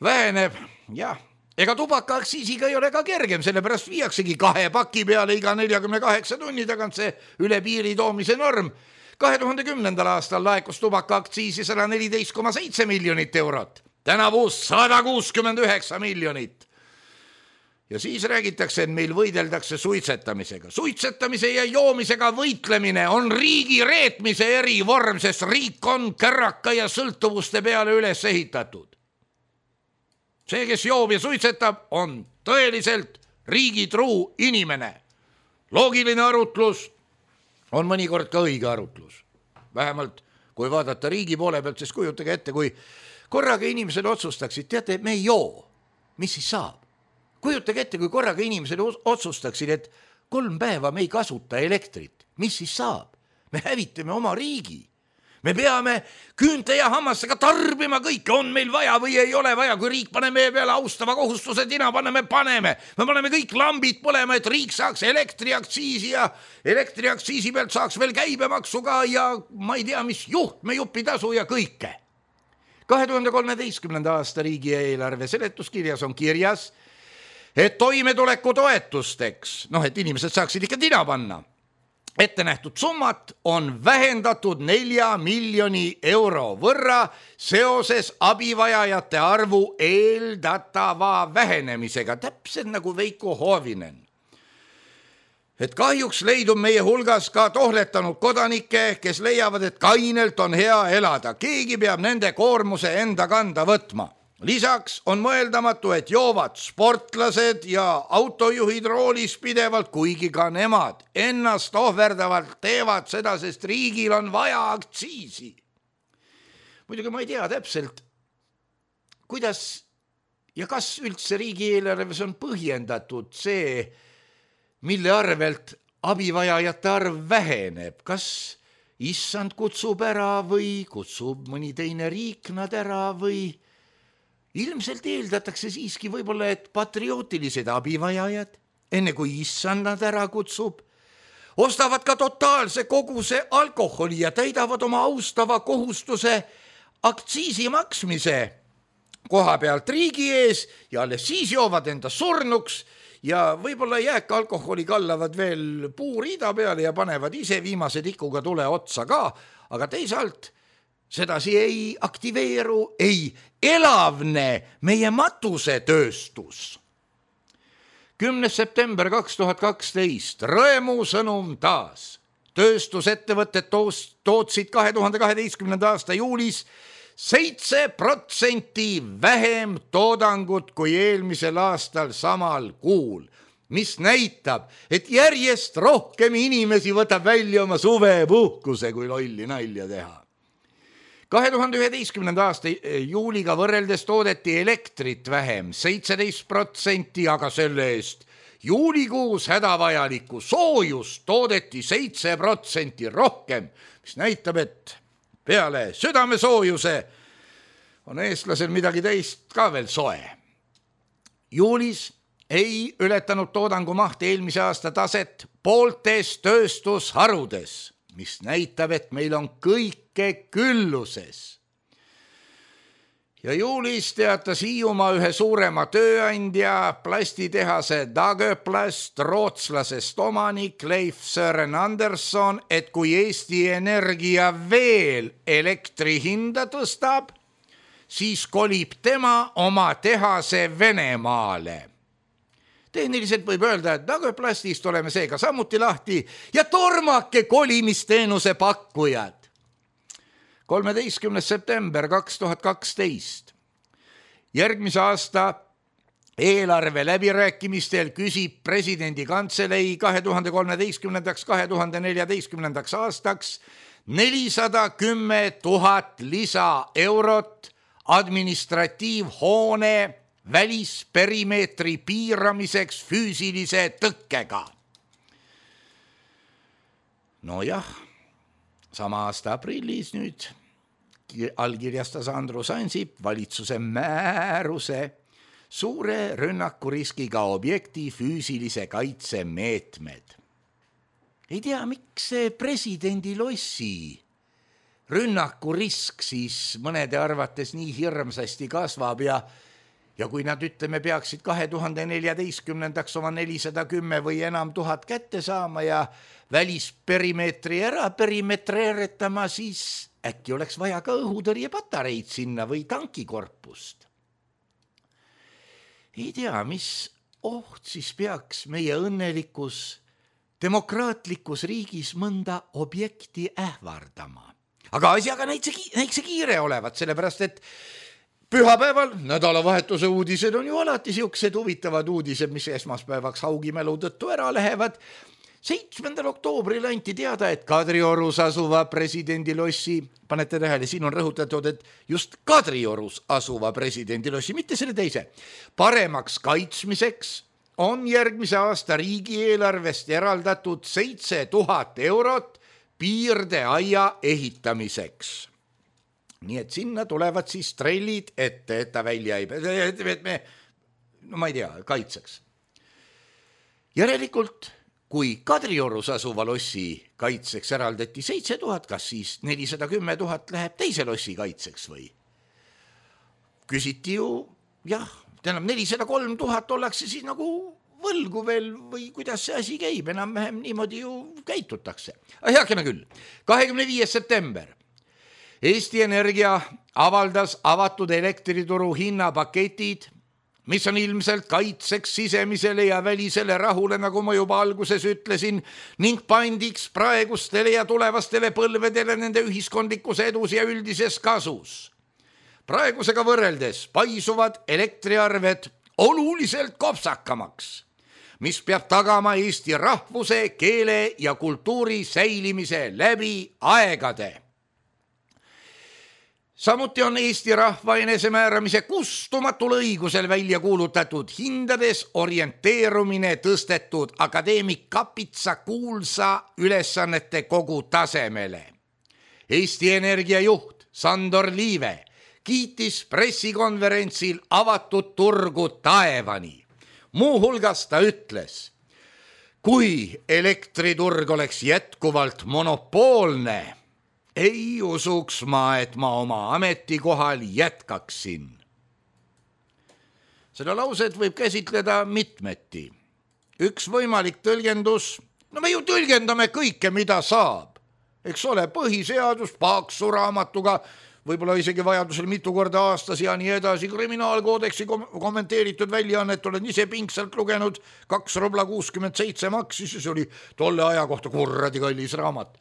väheneb. Jah, ega tubakaaktsiisiga ei ole ka kergem, sellepärast viiaksegi kahe paki peale iga neljakümne kaheksa tunni tagant see üle piiri toomise norm. kahe tuhande kümnendal aastal laekus tubakaaktsiisi sada neliteist koma seitse miljonit eurot. Tänavu sada kuuskümmend üheksa miljonit. Ja siis räägitakse, et meil võideldakse suitsetamisega. Suitsetamise ja joomisega võitlemine on riigi reetmise erivorm, sest riik on kärraka ja sõltuvuste peale üles ehitatud. see, kes joob ja suitsetab, on tõeliselt riigitruu inimene. Loogiline arutlus on mõnikord ka õige arutlus. Vähemalt kui vaadata riigi poole pealt, siis kujutage ette, kui korraga inimesed otsustaksid, teate, me ei joo, mis siis saab? Kujutage ette, kui korraga inimesed otsustaksid, et kolm päeva me ei kasuta elektrit, mis siis saab? Me hävitame oma riigi. Me peame küünte ja hammastega tarbima kõike, on meil vaja või ei ole vaja, kui riik paneme meie peale austava kohustuse, tina paneme, paneme. Me paneme kõik lambid põlema, et riik saaks elektriaktsiisi ja elektriaktsiisi pealt saaks veel käibemaksu ka ja ma ei tea, mis juhtme jupitasu ja kõike. kahe tuhande kolmeteistkümnenda aasta riigieelarve seletuskirjas on kirjas, et toimetuleku toetusteks, noh, et inimesed saaksid ikka tina panna, ette nähtud summat on vähendatud nelja miljoni euro võrra seoses abivajajate arvu eeldatava vähenemisega, täpselt nagu Veiko Hoovinen. Et kahjuks leidub meie hulgas ka tohletanud kodanikke, kes leiavad, et kainelt on hea elada. Keegi peab nende koormuse enda kanda võtma. Lisaks on mõeldamatu, et joovad sportlased ja autojuhid roolis pidevalt, kuigi ka nemad ennast ohverdavalt teevad seda, sest riigil on vaja aktsiisi. Muidugi ma ei tea täpselt, kuidas ja kas üldse riigieelarves on põhjendatud see, mille arvelt abivajajate arv väheneb. Kas issand kutsub ära või kutsub mõni teine riik nad ära või ilmselt eeldatakse siiski võib-olla, et patriootilised abivajajad, enne kui issand nad ära kutsub, ostavad ka totaalse koguse alkoholi ja täidavad oma austava kohustuse aktsiisi maksmise koha pealt riigi ees ja alles siis joovad enda surnuks ja võib-olla jääka alkoholi kallavad veel puuriida peale ja panevad ise viimase tikuga tule otsa ka, aga teisalt sedasi ei aktiveeru, ei elavne meie matusetööstus. kümnes september kaks tuhat kaksteist, rõemu sõnum taas. Tööstusettevõtted tootsid kahe tuhande kaheteistkümnenda aasta juulis seitse protsenti vähem toodangut kui eelmisel aastal samal kuul, mis näitab, et järjest rohkem inimesi võtab välja oma suvepuhkuse, kui lolli nalja teha. kahe tuhande üheteistkümnenda aasta juuliga võrreldes toodeti elektrit vähem, seitseteist protsenti, aga selle eest juulikuus hädavajalikku soojust toodeti seitse protsenti rohkem, mis näitab, et peale südamesoojuse on eestlasel midagi teist ka veel soe. Juulis ei ületanud toodangu maht eelmise aasta taset pooltes tööstusharudes, mis näitab, et meil on kõike külluses. Ja juulis teatas Hiiumaa ühe suurema tööandja, plastitehase Dagöplast, rootslasest omanik Leif Søren Andersson, et kui Eesti Energia veel elektri hinda tõstab, siis kolib tema oma tehase Venemaale. Tehniliselt võib öelda, et Dagöplastist oleme seega samuti lahti ja tormake kolimisteenuse pakkujad. kolmeteistkümnes september kaks tuhat kaksteist. Järgmise aasta eelarve läbirääkimistel küsib presidendi kantselei kahe tuhande kolmeteistkümnendaks kahe tuhande neljateistkümnendaks aastaks nelisada kümme tuhat lisa eurot administratiivhoone välisperimeetri piiramiseks füüsilise tõkkega. Nojah, sama aasta aprillis nüüd allkirjastas Andrus Ansip valitsuse määruse suure rünnakuriskiga objekti füüsilise kaitse meetmed. Ei tea, miks see presidendi lossi rünnakurisk siis mõnede arvates nii hirmsasti kasvab ja Ja kui nad, ütleme, peaksid kahe tuhande neljateistkümnendaks oma nelisada kümme või enam tuhat kätte saama ja välisperimeetri ära perimetreeretama, siis äkki oleks vaja ka õhutõrjepatareid sinna või tankikorpust. Ei tea, mis oht siis peaks meie õnnelikus demokraatlikus riigis mõnda objekti ähvardama. Aga asjaga näitse kiire olevat, sellepärast et pühapäeval nädalavahetuse uudised on ju alati siuksed huvitavad uudised, mis esmaspäevaks haugimälu tõttu ära lähevad. seitsmendal oktoobril anti teada, et Kadriorus asuva presidendilossi, panete tähele, siin on rõhutatud, et just Kadriorus asuva presidendilossi, mitte selle teise, paremaks kaitsmiseks on järgmise aasta riigieelarvest eraldatud seitse tuhat eurot piirdeaia ehitamiseks. Nii et sinna tulevad siis trellid ette, et ta välja ei, et me, no ma ei tea, kaitseks. Järelikult, kui Kadriorus asuva lossi kaitseks eraldati seitse tuhat, kas siis nelisada kümme tuhat läheb teise lossi kaitseks või? Küsiti ju, jah, tähendab nelisada kolm tuhat ollakse siis nagu võlgu veel või kuidas see asi käib, enam-vähem niimoodi ju käitutakse. Heakene küll, kahekümne viies september. Eesti Energia avaldas avatud elektrituru hinnapaketid, mis on ilmselt kaitseks sisemisele ja välisele rahule, nagu ma juba alguses ütlesin, ning pandiks praegustele ja tulevastele põlvedele nende ühiskondlikus edus ja üldises kasus. Praegusega võrreldes paisuvad elektriarved oluliselt kopsakamaks, mis peab tagama Eesti rahvuse, keele ja kultuuri säilimise läbi aegade. Samuti on Eesti rahva enesemääramise kustumatul õigusel välja kuulutatud hindades orienteerumine tõstetud akadeemik Kapitsa kuulsa ülesannete kogu tasemele. Eesti Energia juht Sandor Liive kiitis pressikonverentsil avatud turgu taevani. Muuhulgas ta ütles, kui elektriturg oleks jätkuvalt monopoolne, ei usuks ma, et ma oma ametikohal jätkaksin. Seda lauset võib käsitleda mitmeti. Üks võimalik tõlgendus, no me ju tõlgendame kõike, mida saab. Eks ole, põhiseadus, paksu raamatuga, võib-olla isegi vajadusel mitu korda aastas ja nii edasi, kriminaalkoodeksi kommenteeritud väljaannet olen ise pingsalt lugenud, kaks rubla kuuskümmend seitse maksis, see oli tolle aja kohta kurradi kallis raamat.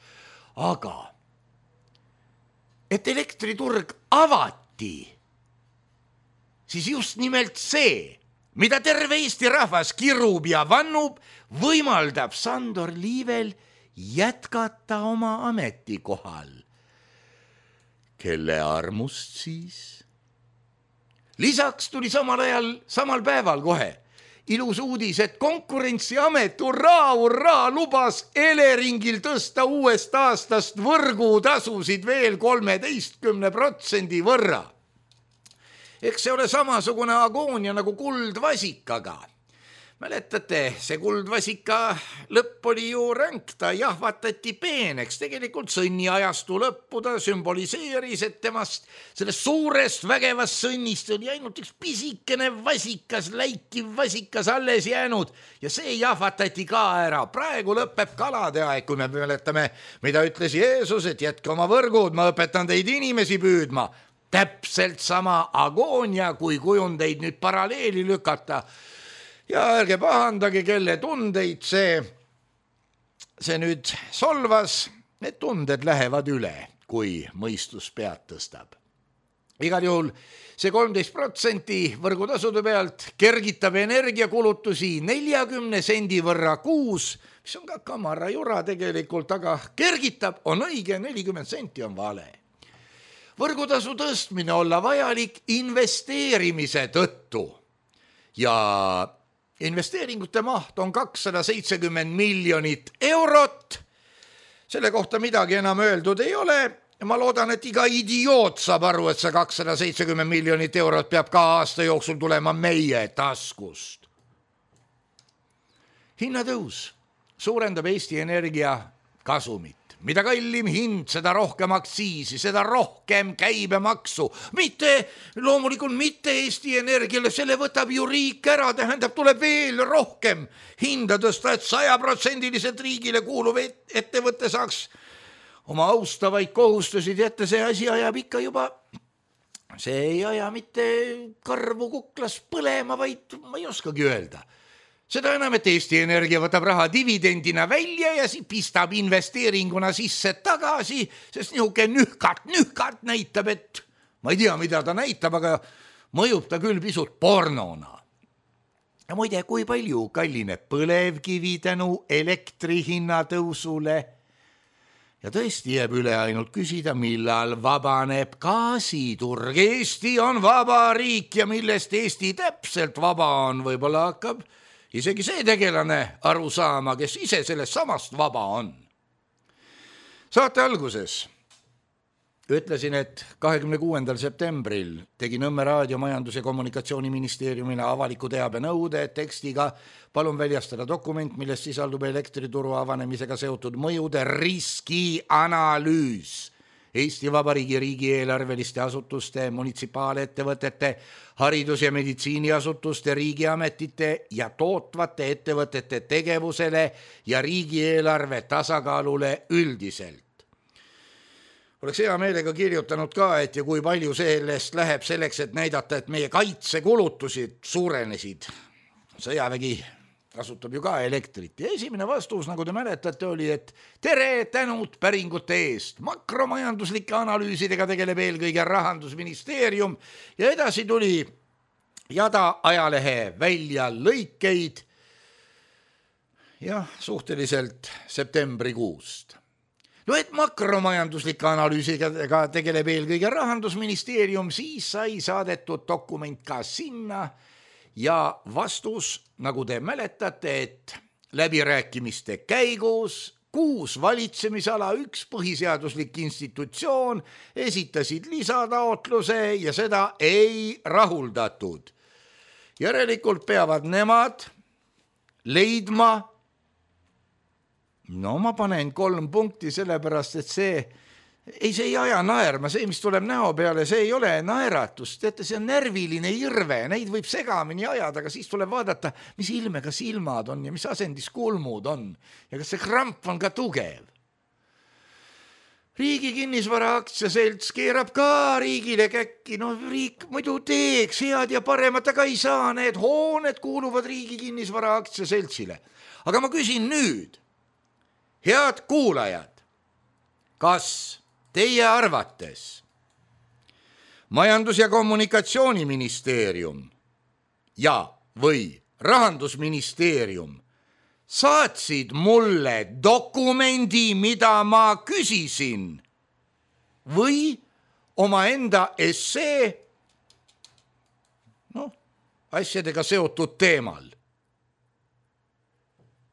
Aga et elektriturg avati, siis just nimelt see, mida terve Eesti rahvas kirub ja vannub, võimaldab Sandor Liivel jätkata oma ametikohal. Kelle armust siis? Lisaks tuli samal ajal, samal päeval kohe ilus uudis, et Konkurentsiamet urraa, urraa lubas Eleringil tõsta uuest aastast võrgutasusid veel kolmeteistkümne protsendi võrra. Eks see ole samasugune agoonia nagu kuldvasikaga. Mäletate, see kuldvasika lõpp oli ju ränk, ta jahvatati peeneks, tegelikult sõnniajastu lõppu ta sümboliseeris, et temast sellest suurest vägevast sõnnist oli ainult üks pisikene vasikas, läikiv vasikas alles jäänud ja see jahvatati ka ära. Praegu lõpeb kalade aeg, kui me mäletame, mida ütles Jeesus, et jätke oma võrgud, ma õpetan teid inimesi püüdma. Täpselt sama agoonia, kui kujundeid nüüd paralleeli lükata. Ja ärge pahandage, kelle tundeid see, see nüüd solvas, need tunded lähevad üle, kui mõistus pead tõstab. Igal juhul see kolmteist protsenti võrgutasude pealt kergitab energiakulutusi neljakümne sendi võrra kuus, mis on ka kamara jura tegelikult, aga kergitab, on õige, nelikümmend senti on vale. Võrgutasu tõstmine olla vajalik investeerimise tõttu ja investeeringute maht on kakssada seitsekümmend miljonit eurot. Selle kohta midagi enam öeldud ei ole. Ma loodan, et iga idioot saab aru, et see kakssada seitsekümmend miljonit eurot peab ka aasta jooksul tulema meie taskust. Hinnatõus suurendab Eesti Energia kasumit. Mida kallim hind, seda rohkem aktsiisi, seda rohkem käibemaksu. Mitte, loomulikult mitte Eesti Energiale, selle võtab ju riik ära, tähendab, tuleb veel rohkem hinda tõsta, et sajaprotsendiliselt riigile kuuluv ettevõtte saaks oma austavaid kohustusi, teate, see asi ajab ikka juba, see ei aja mitte karvu kuklas põlema, vaid ma ei oskagi öelda. Seda enam, et Eesti Energia võtab raha dividendina välja ja pistab investeeringuna sisse tagasi, sest nihuke nühkart, nühkart näitab, et ma ei tea, mida ta näitab, aga mõjub ta küll pisut pornona. Ja muide, kui palju kallineb põlevkivi tänu elektri hinna tõusule? Ja tõesti jääb üle ainult küsida, millal vabaneb gaasiturg. Eesti on vaba riik ja millest Eesti täpselt vaba on, võib-olla hakkab isegi see tegelane aru saama, kes ise sellest samast vaba on. Saate alguses ütlesin, et kahekümne kuuendal septembril tegi Nõmme raadio Majandus- ja Kommunikatsiooniministeeriumile avaliku teabe nõude tekstiga palun väljastada dokument, milles sisaldub elektrituru avanemisega seotud mõjude riskianalüüs Eesti Vabariigi riigieelarveliste asutuste, munitsipaalettevõtete, haridus- ja meditsiiniasutuste, riigiametite ja tootvate ettevõtete tegevusele ja riigieelarve tasakaalule üldiselt. Oleks hea meelega kirjutanud ka, et ja kui palju sellest läheb selleks, et näidata, et meie kaitsekulutusid suurenesid. Sõjavägi kasutab ju ka elektrit. Ja esimene vastus, nagu te mäletate, oli, et tere tänud päringute eest. Makromajanduslike analüüsidega tegeleb eelkõige Rahandusministeerium ja edasi tuli jada ajalehe välja lõikeid ja suhteliselt septembrikuust. No et makromajanduslike analüüsiga tegeleb eelkõige Rahandusministeerium, siis sai saadetud dokument ka sinna ja vastus, nagu te mäletate, et läbirääkimiste käigus kuus valitsemisala, üks põhiseaduslik institutsioon esitasid lisataotluse ja seda ei rahuldatud. Järelikult peavad nemad leidma. No ma panen kolm punkti sellepärast, et see ei, see ei aja naerma, see, mis tuleb näo peale, see ei ole naeratus. Teate, see on närviline irve, neid võib segamini ajada, aga siis tuleb vaadata, mis ilmega silmad on ja mis asendis kulmud on ja kas see kramp on ka tugev. Riigi kinnisvara aktsiaselts keerab ka riigile käkki, no riik muidu teeks head ja paremat, aga ei saa, need hooned kuuluvad riigi kinnisvara aktsiaseltsile. Aga ma küsin nüüd, head kuulajad, kas teie arvates Majandus- ja Kommunikatsiooniministeerium ja või Rahandusministeerium saatsid mulle dokumendi, mida ma küsisin, või omaenda essee no, asjadega seotud teemal?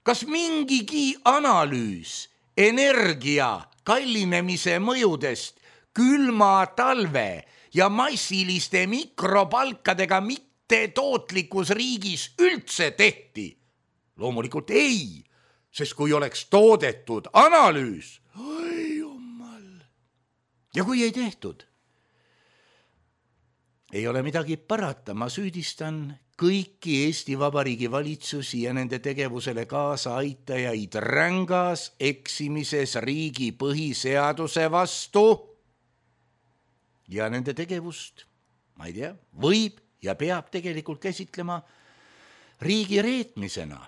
Kas mingigi analüüs energia kallinemise mõjudest külma talve ja massiliste mikropalkadega mitte tootlikus riigis üldse tehti? Loomulikult ei, sest kui oleks toodetud analüüs, oi jumal, ja kui ei tehtud, ei ole midagi parata, ma süüdistan kõiki Eesti Vabariigi valitsusi ja nende tegevusele kaasa aitajaid rängas eksimises riigi põhiseaduse vastu ja nende tegevust, ma ei tea, võib ja peab tegelikult käsitlema riigi reetmisena.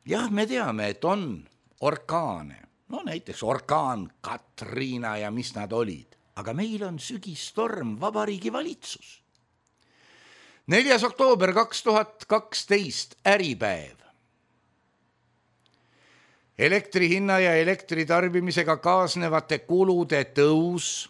Jah, me teame, et on orkaane, no näiteks orkaan Katrina ja mis nad olid, aga meil on sügistorm Vabariigi valitsus. neljas oktoober kaks tuhat kaksteist, Äripäev. Elektri hinna ja elektri tarbimisega kaasnevate kulude tõus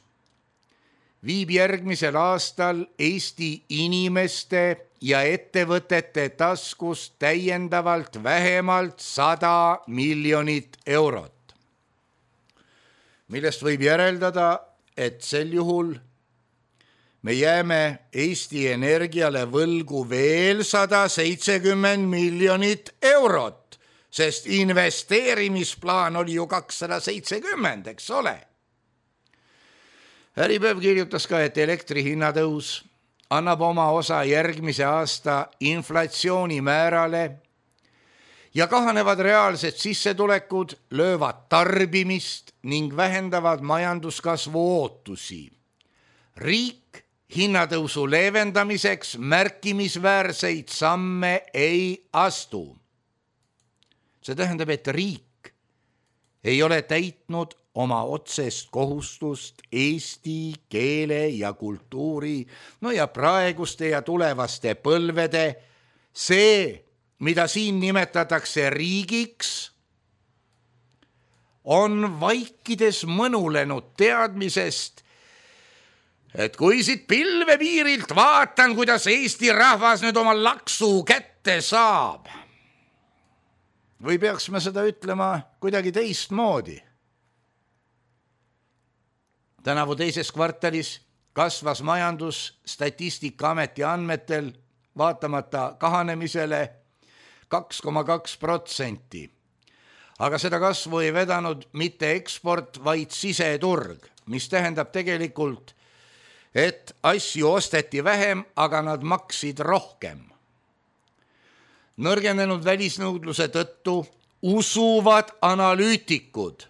viib järgmisel aastal Eesti inimeste ja ettevõtete taskust täiendavalt vähemalt sada miljonit eurot, millest võib järeldada, et sel juhul me jääme Eesti Energiale võlgu veel sada seitsekümmend miljonit eurot, sest investeerimisplaan oli ju kakssada seitsekümmend, eks ole. Äripäev kirjutas ka, et elektri hinnatõus annab oma osa järgmise aasta inflatsioonimäärale ja kahanevad reaalsed sissetulekud löövad tarbimist ning vähendavad majanduskasvu ootusi. Riik hinnatõusu leevendamiseks märkimisväärseid samme ei astu. See tähendab, et riik ei ole täitnud oma otsest kohustust eesti keele ja kultuuri, no ja praeguste ja tulevaste põlvede, see, mida siin nimetatakse riigiks, on vaikides mõnulenud teadmisest, et kui siit pilvepiirilt vaatan, kuidas Eesti rahvas nüüd oma laksu kätte saab, või peaks me seda ütlema kuidagi teistmoodi. Tänavu teises kvartalis kasvas majandus Statistikaameti andmetel vaatamata kahanemisele kaks koma kaks protsenti. Aga seda kasvu ei vedanud mitte eksport, vaid siseturg, mis tähendab tegelikult, et asju osteti vähem, aga nad maksid rohkem. Nõrgenenud välisnõudluse tõttu usuvad analüütikud,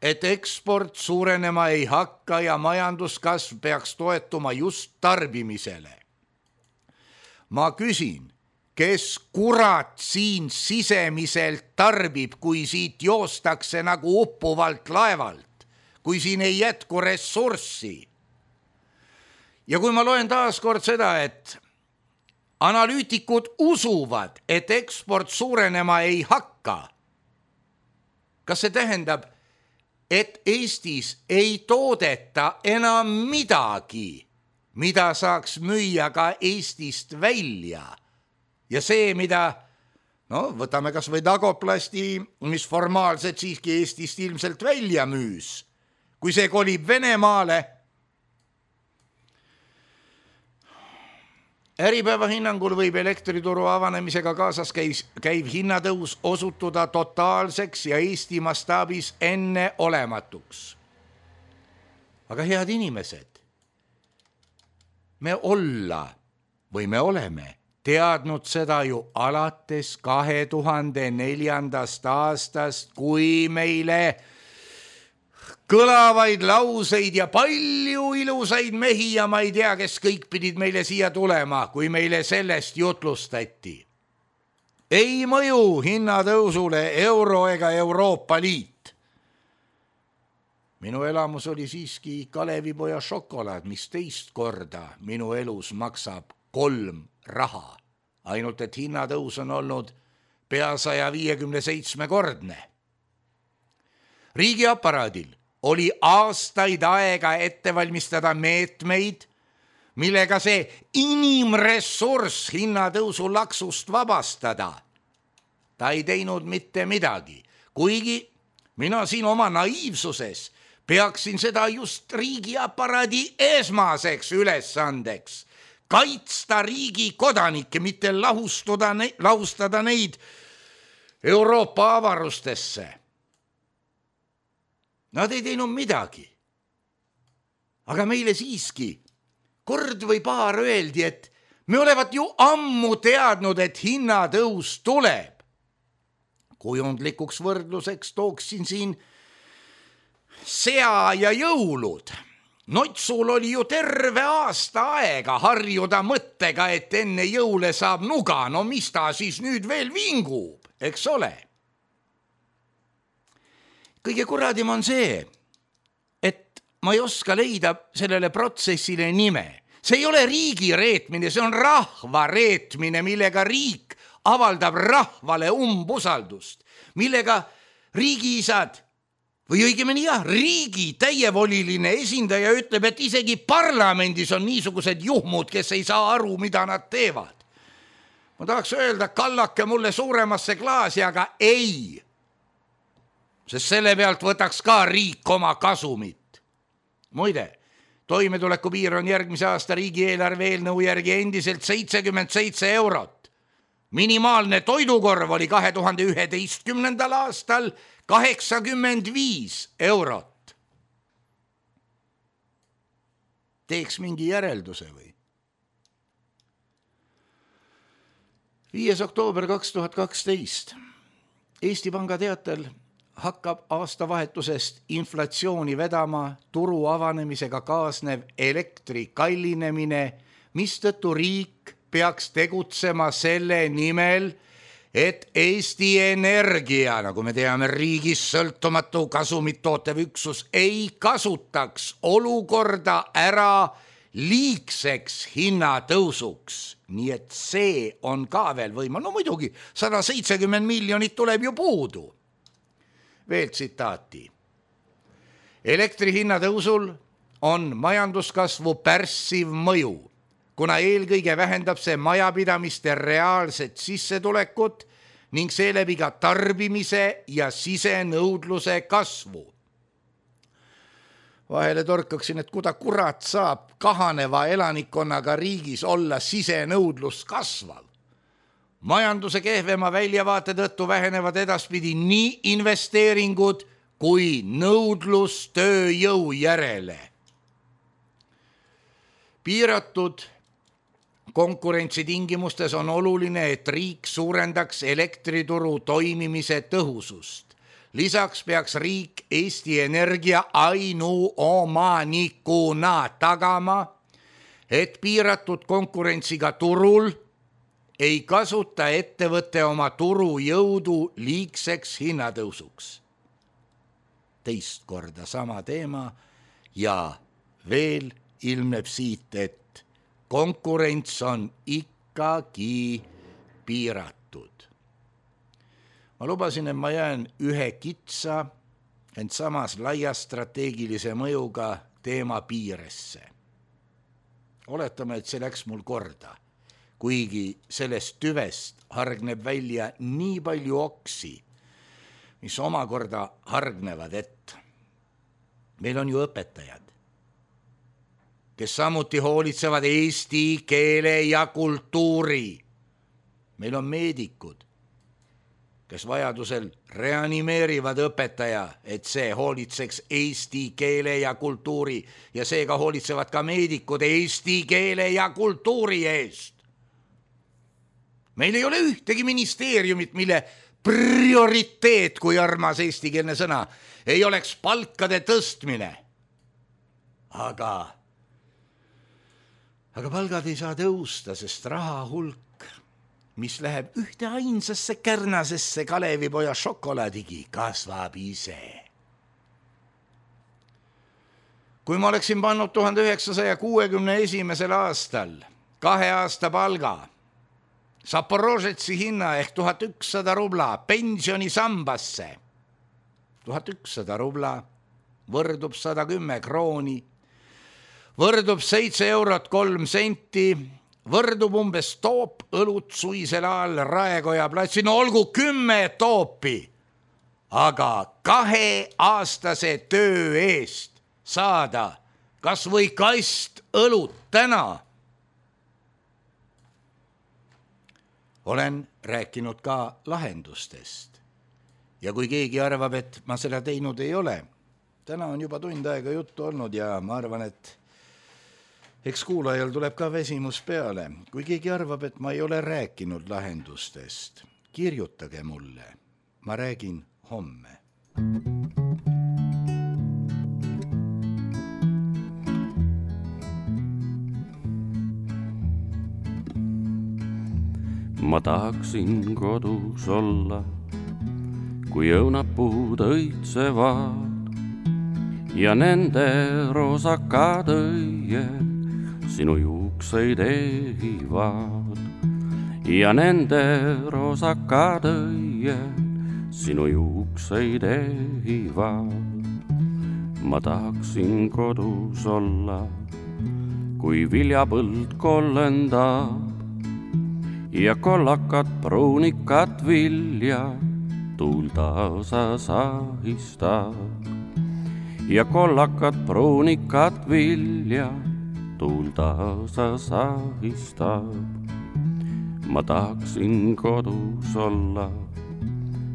et eksport suurenema ei hakka ja majanduskasv peaks toetuma just tarbimisele. Ma küsin, kes kurat siin sisemiselt tarbib, kui siit joostakse nagu uppuvalt laevalt, kui siin ei jätku ressurssi? Ja kui ma loen taas kord seda, et analüütikud usuvad, et eksport suurenema ei hakka, kas see tähendab, et Eestis ei toodeta enam midagi, mida saaks müüa ka Eestist välja? Ja see, mida, no võtame kas või Dagoplasti, mis formaalselt siiski Eestist ilmselt välja müüs, kui see kolib Venemaale. Äripäeva hinnangul võib elektrituru avanemisega kaasas käis, käiv hinnatõus osutuda totaalseks ja Eesti mastaabis enne olematuks. Aga head inimesed, me olla või me oleme teadnud seda ju alates kahe tuhande neljandast aastast, kui meile kõlavaid lauseid ja palju ilusaid mehi ja ma ei tea, kes kõik pidid meile siia tulema, kui meile sellest jutlustati. Ei mõju hinnatõusule euro ega Euroopa Liit. Minu elamus oli siiski Kalevipoja šokolaad, mis teist korda minu elus maksab kolm raha. Ainult, et hinnatõus on olnud pea saja viiekümne seitsme kordne. Riigiaparaadil oli aastaid aega ette valmistada meetmeid, millega see inimressurss hinnatõusu laksust vabastada. Ta ei teinud mitte midagi, kuigi mina siin oma naiivsuses peaksin seda just riigiaparaadi esmaseks ülesandeks, kaitsta riigi kodanikke, mitte lahustada, lahustada neid Euroopa avarustesse. Nad ei teinud midagi. Aga meile siiski kord või paar öeldi, et me olevat ju ammu teadnud, et hinnatõus tuleb. Kujundlikuks võrdluseks tooksin siin sea ja jõulud. Notsul oli ju terve aasta aega harjuda mõttega, et enne jõule saab nuga, no mis ta siis nüüd veel vingub, eks ole? Kõige kuradim on see, et ma ei oska leida sellele protsessile nime. See ei ole riigi reetmine, see on rahva reetmine, millega riik avaldab rahvale umbusaldust, millega riigiisad või õigemini jah, riigi täievoliline esindaja ütleb, et isegi parlamendis on niisugused juhmud, kes ei saa aru, mida nad teevad. Ma tahaks öelda, kallake mulle suuremasse klaasi, aga ei. Sest selle pealt võtaks ka riik oma kasumit. Muide, toimetuleku piir on järgmise aasta riigieelarve eelnõu järgi endiselt seitsekümmend seitse eurot. Minimaalne toidukorv oli kahe tuhande üheteistkümnendal aastal kaheksakümmend viis eurot. Teeks mingi järelduse või? viies oktoober kaks tuhat kaksteist. Eesti Panga teatel hakkab aastavahetusest inflatsiooni vedama turu avanemisega kaasnev elektri kallinemine, mistõttu riik peaks tegutsema selle nimel, et Eesti Energia, nagu me teame, riigis sõltumatu kasumit tootev üksus, ei kasutaks olukorda ära liigseks hinnatõusuks. Nii et see on ka veel võima. No muidugi, sada seitsekümmend miljonit tuleb ju puudu. Veel tsitaati. Elektri hinnatõusul on majanduskasvu pärssiv mõju, kuna eelkõige vähendab see majapidamiste reaalset sissetulekut ning seeläbi ka tarbimise ja sisenõudluse kasvu. Vahele torkaksin, et kuda kurat saab kahaneva elanikkonnaga riigis olla sisenõudlus kasvav. Majanduse kehvema väljavaate tõttu vähenevad edaspidi nii investeeringud kui nõudlus tööjõu järele. Piiratud konkurentsi tingimustes on oluline, et riik suurendaks elektrituru toimimise tõhusust. Lisaks peaks riik Eesti Energia ainuomanikuna tagama, et piiratud konkurentsiga turul ei kasuta ettevõtte oma turujõudu liigseks hinnatõusuks. Teist korda sama teema ja veel ilmneb siit, et konkurents on ikkagi piiratud. Ma lubasin, et ma jään ühe kitsa, ent samas laia strateegilise mõjuga teema piiresse. Oletame, et see läks mul korda, kuigi sellest tüvest hargneb välja nii palju oksi, mis omakorda hargnevad, et meil on ju õpetajad, kes samuti hoolitsevad eesti keele ja kultuuri. Meil on meedikud, kes vajadusel reanimeerivad õpetaja, et see hoolitseks eesti keele ja kultuuri ja seega hoolitsevad ka meedikud eesti keele ja kultuuri eest. Meil ei ole ühtegi ministeeriumit, mille prioriteet, kui armas eestikeelne sõna, ei oleks palkade tõstmine. Aga, aga palgad ei saa tõusta, sest raha hulk, mis läheb ühte ainsasse kärnasesse Kalevipoja šokolaadigi, kasvab ise. Kui ma oleksin pannud tuhande üheksasaja kuuekümne esimesel aastal kahe aasta palga, Zaporožetsi hinna ehk tuhat ükssada rubla pensionisambasse, tuhat ükssada rubla võrdub sada kümme krooni, võrdub seitse eurot kolm senti, võrdub umbes toop õlut suisel ajal Raekoja platsi, no olgu kümme toopi, aga kaheaastase töö eest saada kas või kast õlut täna. Olen rääkinud ka lahendustest ja kui keegi arvab, et ma seda teinud ei ole, täna on juba tund aega juttu olnud ja ma arvan, et eks kuulajal tuleb ka vesimus peale. Kui keegi arvab, et ma ei ole rääkinud lahendustest, kirjutage mulle. Ma räägin homme. Ma tahaksin kodus olla, kui õunapuud õitsevad ja nende roosakad õied sinu juukseid ehivad ja nende roosakad õied sinu juukseid ehivad. Ma tahaksin kodus olla, kui viljapõld kollendab ja kollakat pruunikat vilja tuul taasa sahistab. Ja kollakat pruunikat vilja tuul taasa sahistab. Ma tahaksin kodus olla,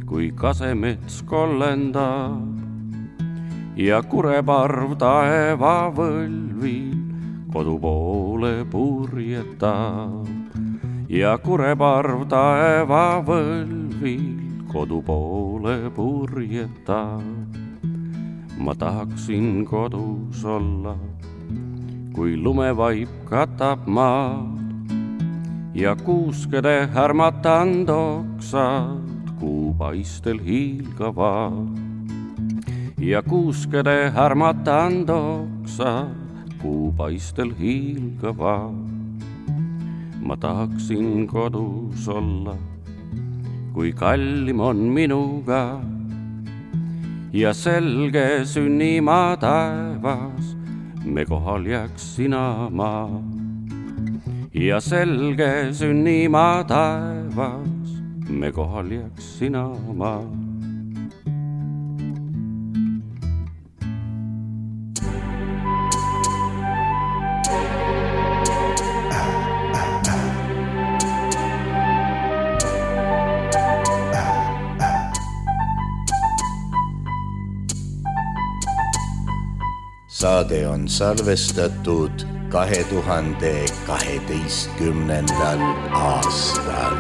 kui kasemets kollendab ja kureparv taeva võlvil kodu poole purjetab. Ja kureparv taeva võlvil kodu poole purjetab. Ma tahaksin kodus olla, kui lumevaip katab maad ja kuuskede härmatand oksad kuupaistel hiilgavad. Ja kuuskede härmatand oksad kuupaistel hiilgavad. Ma tahaksin kodus olla, kui kallim on minuga ja selge sünnimaa taevas, me kohal jääks sina maa. Ja selge sünnimaa taevas, me kohal jääks sina maa. Saade on salvestatud kahe tuhande kaheteistkümnendal aastal.